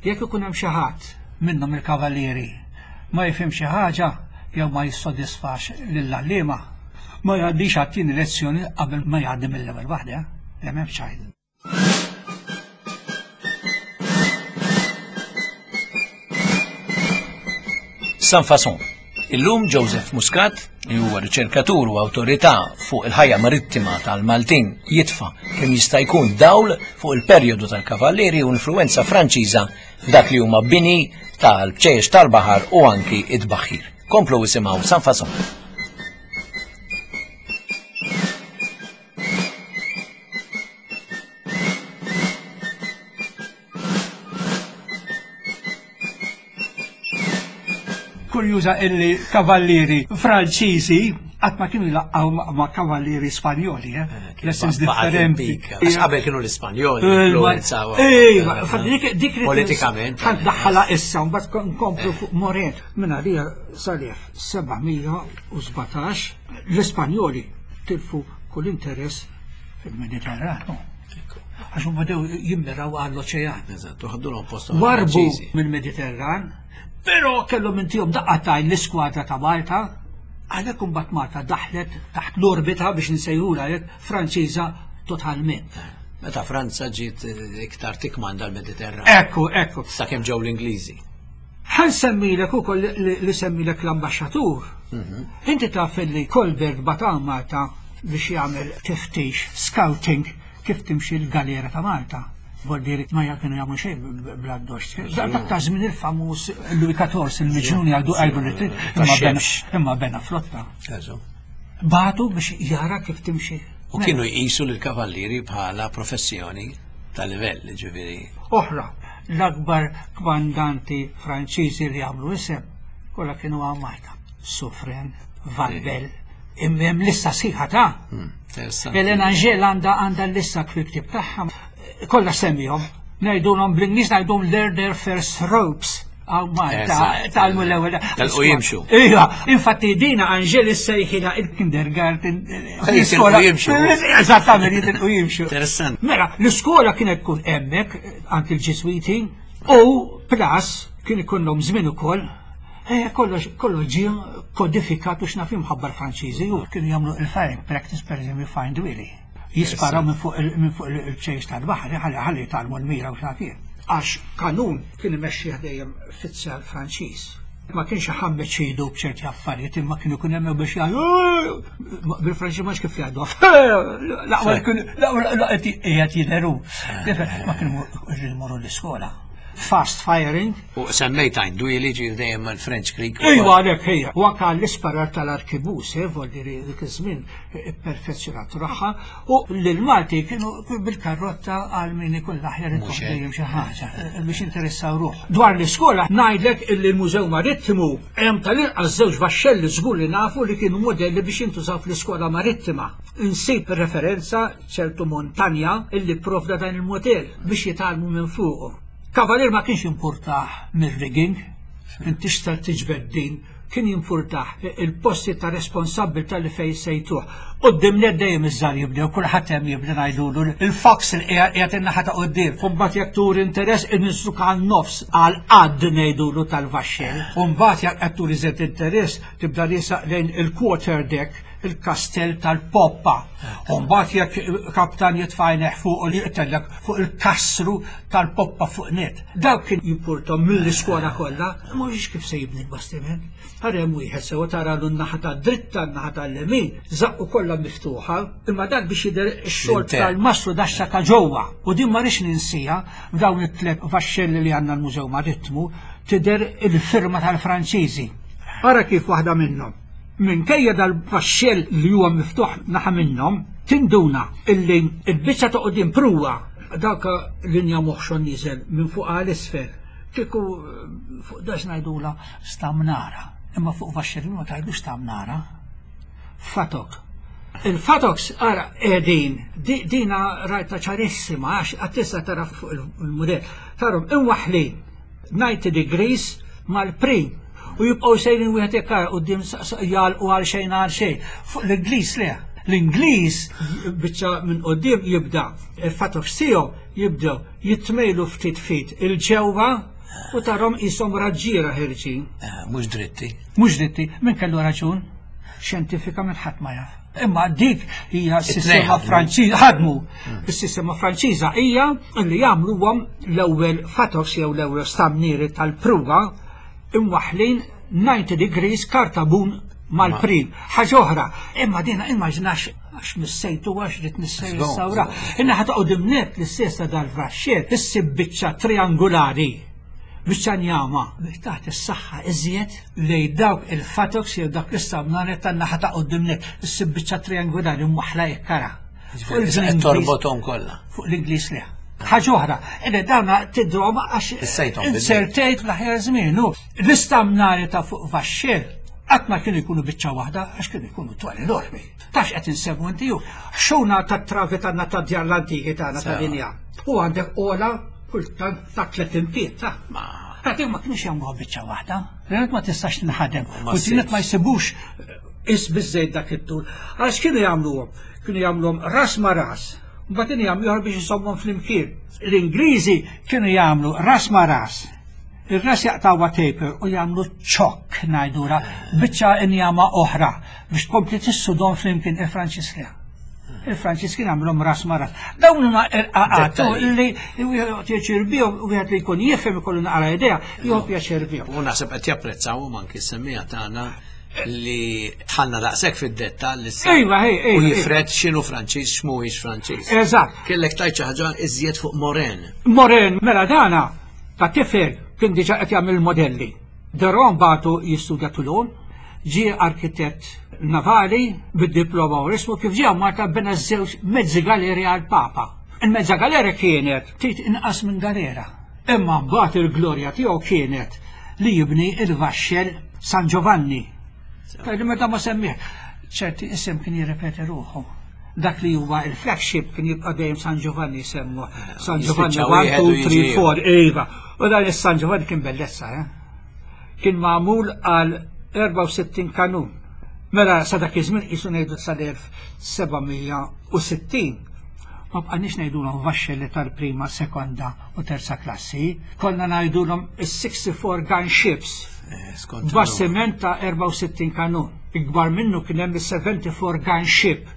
Jekk ikun hemm xi ħadd minnhom il-kavallieri ma jifhem xi ħaġa jew ma jissodisfax lill-għalliema, ma jgħaddix għat-tieni lezzjoni qabel ma jgħaddi mill-ewwel waħda. Le m'hemmx ċajt. Sans Façon. Illum Joseph Muscat, li huwa riċerkatur u awtorità fuq il-ħajja marittima tal-Maltin, jitfa' kemm jista' jkun dawl fuq il-perjodu tal-Kavallieri u influenza Franċiża f'dak li huma bini tal-bċejjex tal-baħar u anki id-baħħir. Komplu isimgħu Sans Façon. Kurjuża illi kavallieri Franċiżi qatt ma kienu jlaqqgħu ma' kavallieri Spanjoli, eh? Lessons differenti. Għax qabel kienu l-Ispanjoli influenzaw. Ejwa, dik politikament. Ħadd daħħalha issa mbagħad nkomplu fuq Moret. Minn għalija sal-elf seba' mija u sbatax l-Ispanjoli tilfu kull interess fil-Mediterranu. Għax huma bdew jimmiraw għall-oċean. Eżatt, u ħadulhom posthom Warbu il-Franċiżi. mill-Mediterran, però kellhom intihom daqqatajn l-iskwadra ta' Malta, għalhekk imbagħad Malta daħlet taħt l-orbita biex nsejħulha hekk Franċiża totalment. Meta Franza ġiet iktar tikmanda l-Mediterran. Ekku, ekku. Sakemm ġew l-Ingliżi. Ħa nsemmilek ukoll li, li semmilek l-ambaxxatur. Inti taf li Colbert bagħat Malta biex jagħmel tiftix, scouting, kif timxi l-galera ta' Malta. Vuol ma kienu jagħmlu xejn bla doċ. Dak ta' żmien il-famuż Louis ħmistax, il-miġnun jgħidu għajdu li trid, imma bena imma bena flotta. Bagħtu biex jara kif timxi. U kienu jqisu l-kavallieri bħala professjoni ta' livell, ġifieri. Oħra, l-akbar kmandanti Franċiżi li għamlu isem, kollha kienu għaw Malta. Suffren, Valbel, imma lista sħiħa ta' Interessanti. Elena Angel għandha għandha l-lista fil-ktieb tagħha. Kollha semmihom, ngħidulhom bl-Ingliż ngħidulhom learn their first ropes. Għaw Malta, Eżatt. tgħallmu l-ewwel. Telqu jimxu. Iva, infatti dina Angel issejħilha il-kindergarten. Jitilqu jimxu. Eżattament, jitilqu jimxu. Interessanti. Mela, l-iskola kienet tkun hemmhekk anki l-Ġiżwiti u plus kien ikollhom żmien ukoll. Eh, kollox kollox ġie kodifikat u x'naf imħabba l-Franċiżi u kienu jagħmlu il-firing practice, per eżempju, Find Willy. Jisparaw minn fuq il- minn fuq il-ċejs tal-baħar, ħalli ħalli jitgħallmu l-mira u x'naf jien. Għax kanun kien imexxih dejjem fizzal Franċiż. Ma kienx iħammeġ idu b'ċerti affarijiet, imma kienu kun hemm biex jgħidu bil-Franċiż, ma kif jgħidu. L-aqwa kien l-aqwa qiegħed jidheru. Ma kienu jmorru l-iskola. Fast firing. U semmejt Għajn Dwieli ġir dejjem mal-French Creek. Ejwa, għalhekk hija. U anke l-isparar tal-arkibus, eh, vuol dire dik iż-żmien perfezzjonat ruħha, u l-Malti kienu bil-karrotta għal min ikun l-aħjar Mhux hekk. dejjem xi ħaġa eh, biex interessaw ruħ. Dwar l-iskola ngħidlek illi l-Mużew Marittimu hemm tal-inqas żewġ vaxxelli żgur li nafu li kienu modelli biex jintużaw fl-iskola marittima. Insib referenza ċertu montanja illi provda dan il-modell biex jitgħallmu minn fuqu. Kavalier ma kienx jimpurtah mir-rigging, inti xtal tiġbed din, kien jimpurtah il-posti ta' responsabbiltà li fej sejtuh. Quddiem net dejjem iż-żgħar jibdew, kulħadd hemm jibda ngħidulu il-fox il qiegħed in-naħa ta' quddiem. U mbagħad jekk turi interess inniżluk għan-nofs għal qadd ngħidulu tal-vaxxell. U mbagħad jekk qed turi żed interess tibda riesaq lejn il-quarter deck, il-kastell tal-poppa. U mbagħad jekk kaptan jitfajneħ fuq u li jqtellek fuq il-kasru tal-poppa fuq net. Dawk kien jimpurtom mill-iskola kollha, mhux kif se jibni l-bastiment. Għarem wieħed sewa tara l naħa ta' dritta, n-naħa tal-lemin, zaqqu kollha miftuħa, imma dak biex jidher ix-xogħol L-intern. tal-mastru daxxa ta' ġewwa. U din ma rix ninsija f'dawn it-tliet vaxxelli li għandna l-Mużew Marittimu tidher il-firma tal-Franċiżi. Ara kif waħda minnhom. Minkejja dal-vaxxell li huwa miftuħ naħa minnhom, Tinduna illi il-biċċa ta' quddiem pruwa dak linja moħxon niżel minn fuq għal isfel. Kieku fuq dax ngħidula stamnara, imma fuq vaxxelin ma tgħidux stamnara. Fatok. Il-fatoks ara qegħdin, dina rajta ċarissima għax għattissa tara fuq il-mudell. Tarom imwaħlin ninety degrees mal-prim u jibqgħu sejrin wieħed jekk quddiem jgħalqu għal xejn għal xejn. Fuq l-Ingliż le. L-Ingliż biċċa minn quddiem jibda il-fatoks tiegħu jibdew jitmejlu ftit ftit il-ġewwa u tarhom qishom raġġiera ħerġin. Mhux dritti. Mhux dritti, min kellu raġun? Xjentifikament ħadd ma jaf. Imma dik hija s-sistema Franċiża ħadmu. Is-sistema Franċiża hija li jagħmluhom l-ewwel fatoks jew l-ewwel stamnieri tal-pruwa imwaħlin ninety degrees kartabun mal-prim. Ħaġa oħra, imma dina immaġinax għax missejtu għax rid nissejr is-sawra. Inna ħa toqgħod imnet l-istess dal-vaxxier, issib biċċa triangolari, biċċa njama, biex taħt is-saħħa iżjed lej dawk il-fatoks jew dak l-istamnare tan-naħa ta' quddiem net, issib biċċa triangolari mwaħla jekkara. Torbothom kollha. Fuq l-Ingliż le. Ħaġa oħra, illi dawna tidrom għax insertejt l-aħjar żmien. L-istamnare ta' fuq vaxxier qatt ma kienu jkunu biċċa waħda għax kienu jkunu twal enormi. Tax qed insemmu inti ju. Xuna tat-travi tagħna tad-djar l-antiki tagħna tal-linja. U għandek ola kultant ta' tliet impiet ta' Għadim ma kienux jagħmluha biċċa waħda. L-għanet ma tistax tinħadem. U t-tielet ma jsibux is biżejt dak it-tul. Għax kienu jagħmluhom? Kienu jagħmluhom ras ma' ras. Mbagħad jagħmlu ieħor biex isommhom flimkien. L-Ingliżi kienu jagħmlu ras ma' ras. Ir-ras jaqtawha taper u jagħmlu ċokk ngħidura biċċa injama oħra biex tkompli tissudhom flimkien. Il-Franċiż le. Il-Franċiż kien għamlhom ras ma' ras. Dawn huma irqaqat li wieħed pjaċir bihom, wieħed li jkun jifhem ikollu naqra idea, jieħu pjaċir bihom. U naħseb qed japprezzawhom anki s-semmija tagħna li tħallna daqshekk fid-dettall issa. Iva, ej, ej. U jifred x'inhu Franċiż x'mhuwiex Franċiż. Eżatt. Kellek tajt xi ħaġa iżjed fuq Moren. Moren, mela dana ta' tifel kien diġà qed jagħmel modelli. Deron bagħtu jistudja Toulon, ġie arkitett navali bid-diploma u ismu kif ġie Malta bena żewġ mezzi galeri għal Papa. Il-mezza galera kienet ftit inqas minn galera. Imma mbagħad il-glorja tiegħu kienet li jibni il-vaxxel San Giovanni. Tajli meta ma semmih, ċerti isem kien jirrepeti ruħu. Dak li huwa il-flagship kien jibqa' dejjem San Giovanni semmu. San Giovanni one, two, three, four, iva. U dan is-San Giovanni kien bellezza, eh? Kien magħmul għal erbgħa u sittin kanun. Mela sa dak iż-żmien qisu ngħidu sal-elf seba' mija u sittin. Ma bqanniex ngħidulhom vaxxelli tal-prima, sekonda u terza klassi, konna ngħidulhom is-sixty-four gun ships. Bastiment ta' erbgħa u sittin kanun. Ikbar minnu kien hemm is-seventy-four gun ship.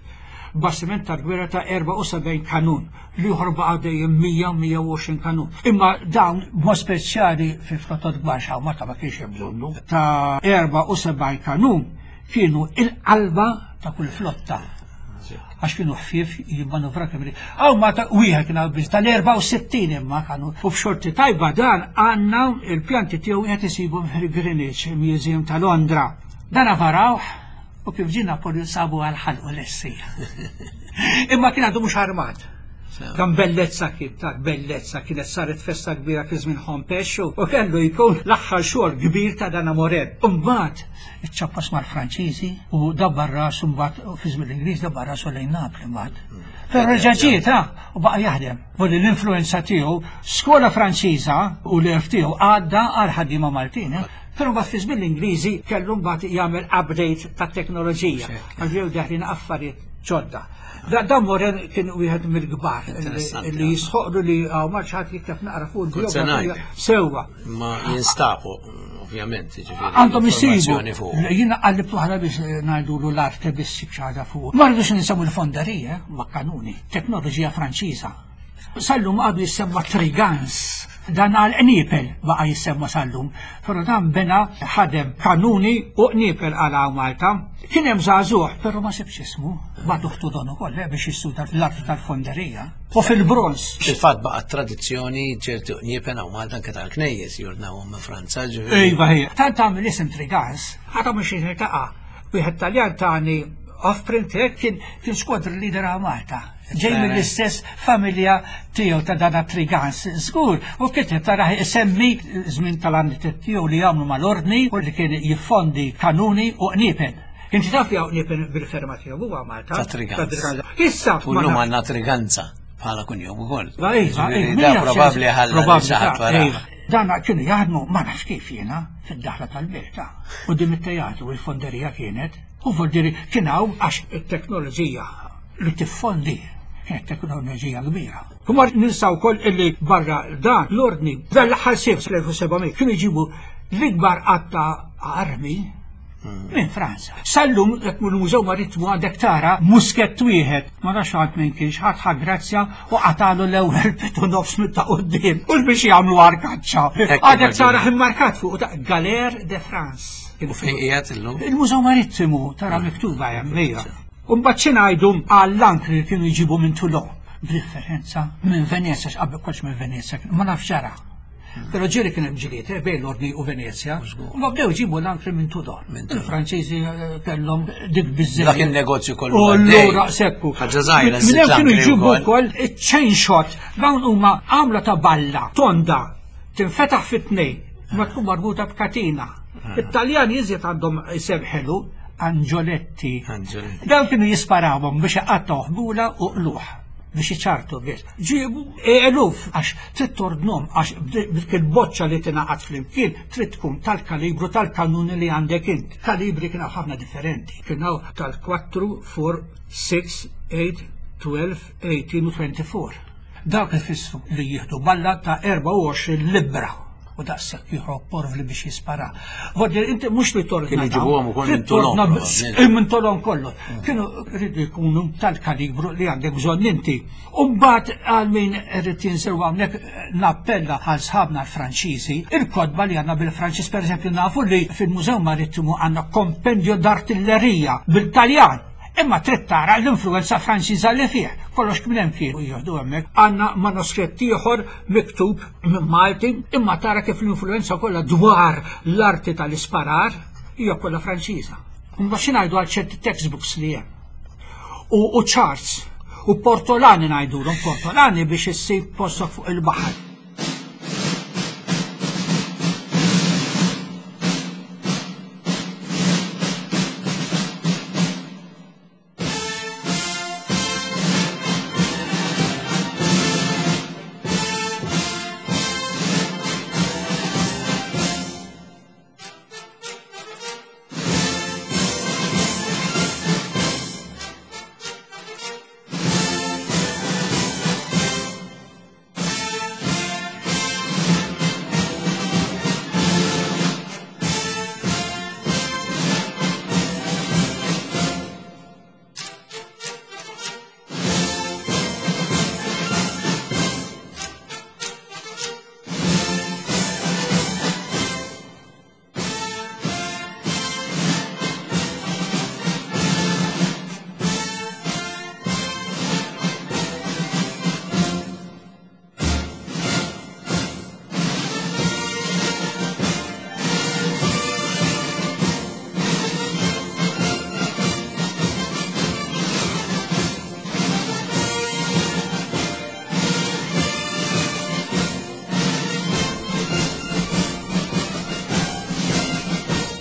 Bastiment ta' gwerra ta' erbgħa u sebgħin kanun. L-ieħor baqa' dejjem mija, mija u għoxrin kanun. Imma dawn b'mod speċjali fi flottot kbar x'hawn Malta ma kienx hemm bżonnu. Ta' erbgħa u sebgħin kanun kienu il-qalba ta' kull flotta. Għax kienu ħfief jimmanuvra kemm irid. Hawn Malta wieħed kien hawn biss tal-erbgħa u sittin imma kanu. U b'xorti tajba dan għandna il-pjanti tiegħu wieħed isibhom fil-Greenwich Museum ta' Londra. Dan avarawh u kif ġie Napoleon sabu għal ħalqu l-essija. Imma kien għadu mhux armat. Dan bellezza kien, ta' bellezza kienet saret festa kbira fi żmien Hompesch u kellu jkun l-aħħar xogħol kbir ta' dan Moren. Imbagħad iċċappas mal-Franċiżi u dabbar rasu mbagħad fi żmien l-Ingliż dabbar rasu lejn Napli mbagħad. Però reġa' ġiet, ha, u baqa' jaħdem. Volli l-influenza tiegħu skola Franċiża u l-erf tiegħu għadda għal ħaddiema Maltin, eh? Però mbagħad fi żmien l-Ingliżi kellu mbagħad jagħmel update tat-teknoloġija. Għal ġew daħlin affarijiet ġodda. Da, dan Moren kien wieħed mill-kbar li Interessanti, li jisħoqlu li hawn ma ħadd jikteb naqra fuq Kont se il-biografija ngħid. sewwa. Ma jinstabu, ovvjament, jiġifieri, Għandhom isibu. informazzjoni fuq. Jiena qallibt waħda biex ngħidulu l-arte biex ssib xi ħaġa fuq. Ma rridux ninsemmu l-fonderija, ma kanuni, teknoloġija Franċiża. Sallum għadu jissemma Trigans, dan għal qniepel baqa' jissemma sallum, però dan bena ħadem kanuni u qniepel għal hawn Malta. Kien hemm żagħżugħ, però ma sibx ismu, bagħtu ħtu don ukoll, eh, biex jistuda l-arti tal-fonderija. U fil-bronz. Fil-fatt baqa' tradizzjoni ċertu qniepen hawn Malta anke tal-knejjes jordnawhom minn Franza, ġifieri. Iva, hija. Tant għamel isem Trigans, ħadd mhux jiltaqa'. Wieħed Taljan tani Off-print kien kien squadron leader għal Malta. Ġej mill-istess familja tiegħu ta' dana Trigans, żgur, u kiteb tara isemmi żmien tal-għanniet tiegħu li jagħmlu mal-ordni u li kien jiffondi kanuni u qniepen. Inti taf li hawn qniepen bil-ferma tiegħu huwa Malta. Ta' Trigans. Issa U llum għandna Triganza bħala kunjom ukoll. Iva, iva, Da probabbli ħalla xi ħadd wara. Dana kienu jaħdmu ma nafx kif jiena fid-daħla tal-belt. U dim it-teatru il-fonderija kienet. U voldiri kien hawn għax it-teknoloġija li tiffondi kienet teknoloġija kbira. U mar ninsaw wkoll illi barra dan l-ordni dan l-aħħar sejf fl-elf u sebgħamija kienu jġibu l-ikbar qatta armi minn Franza. Sallum jekk mill-Mużew Marittimu għandek tara muskett wieħed, ma nafx għad minn kienx ħadd ħa grazzja u qatalu l-ewwel pitu nofs minn ta' quddiem u biex jagħmlu arkaċċa. Għandek tara immarkat fuq ta' Galer de France. U fejn qiegħed illum? Il-Mużew Marittimu tara miktuba hemm hija. U mbagħad xi ngħidu għall-ankri li kienu jġibu minn Toulon, b'differenza minn Venezja, x'qabel kollox minn Venezja, ma nafx ġara. Però ġieli kien hemm ġlied eh, bejn l-ordni u Venezja. U ma bdew jġibu l-ankri minn Toulon. Il-Franċiżi kellhom dik biżżejjed. Dak il-negozju kollu U għaddej. allura sekku. Ħaġa żgħira Minn żżid hemm kienu l-ankri jġibu wkoll. wkoll iċ-chain shot. Dawn huma għamla ta' balla, tonda, tinfetaħ fit-tnejn, ma tkun marbuta b'katina. It-Taljani iżjed għandhom isem ħelu, Angioletti. Angioletti. Dawn kienu jisparawhom biex iqattgħu ħbula u qluħ biex iċartu biss. Ġibu eluf għax trid tordnhom għax dik il-boċċa li tingħaqad flimkien trid tkun tal-kalibru tal-kanuni li għandek int. Kalibri kien hawn ħafna differenti. Kien hawn tal-quattro, four, six, eight, twelve, eighteen u twenty-four. Dawk ifissru li jieħdu balla ta' erbgħa u għoxrin libbra. U daqshekk jieħu porvli biex jispara. Vordi, inti mhux li torna Kienu dawn, jġibuhom ukoll minn trid torna Toulon, b- probabbli. minn Toulon kollu. Kienu rridu jkunu tal-kalibru li għandek bżonn inti. U mbagħad għal min irid jinżel hawnhekk nappella għal sħabna l-Franċiżi, il-kotba li għandna bil-Franċiż, pereżempju nafu li fil-Mużew Marittimu għandna kompendju d'artillerija bil-Taljan. Imma trid tara l-influenza Franċiża li fih. Kollox minn hemm kienu jieħdu hemmhekk. Għandna manuskritt ieħor miktub minn Malti, imma tara kif l-influenza kollha dwar l-arti tal-isparar hija kollha Franċiża. Mbagħad xi ngħidu għal ċerti textbooks li hemm. U, u charts, u portolani ngħidulhom, portolani biex issib postok fuq il-baħar.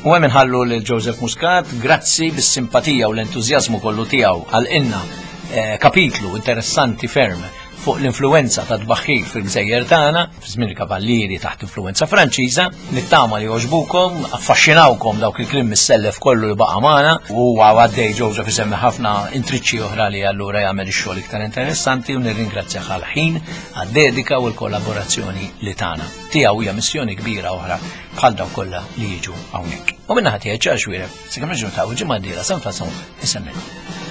U hemm inħallu lil Joseph Muscat, grazzi bis-simpatija u l-entużjażmu kollu tiegħu għal inna, eh, kapitlu interessanti ferm fuq l-influenza ta' tbaħħir fil-gżejjer tagħna, fi żmien il-kavallieri taħt influenza Franċiża. Nittama li għoġbukom, affaxxinawkom dawk il-kliem mis-sellef kollu li baqa' magħna, u huwa għaddej Joseph isemmi ħafna intriċċi oħra li allura jagħmel ix-xogħol iktar interessanti, u nirringrazzjah għall-ħin, għad-dedika u l-kollaborazzjoni li tagħna. Tiegħu hija missjoni kbira oħra bħal dawk kollha li jiġu hawnhekk. U minna ħadd jgħid ċar xwiereb, sakemm nerġgħu niltaqgħu ġimgħa d-dieħla San Fason isemmilkom.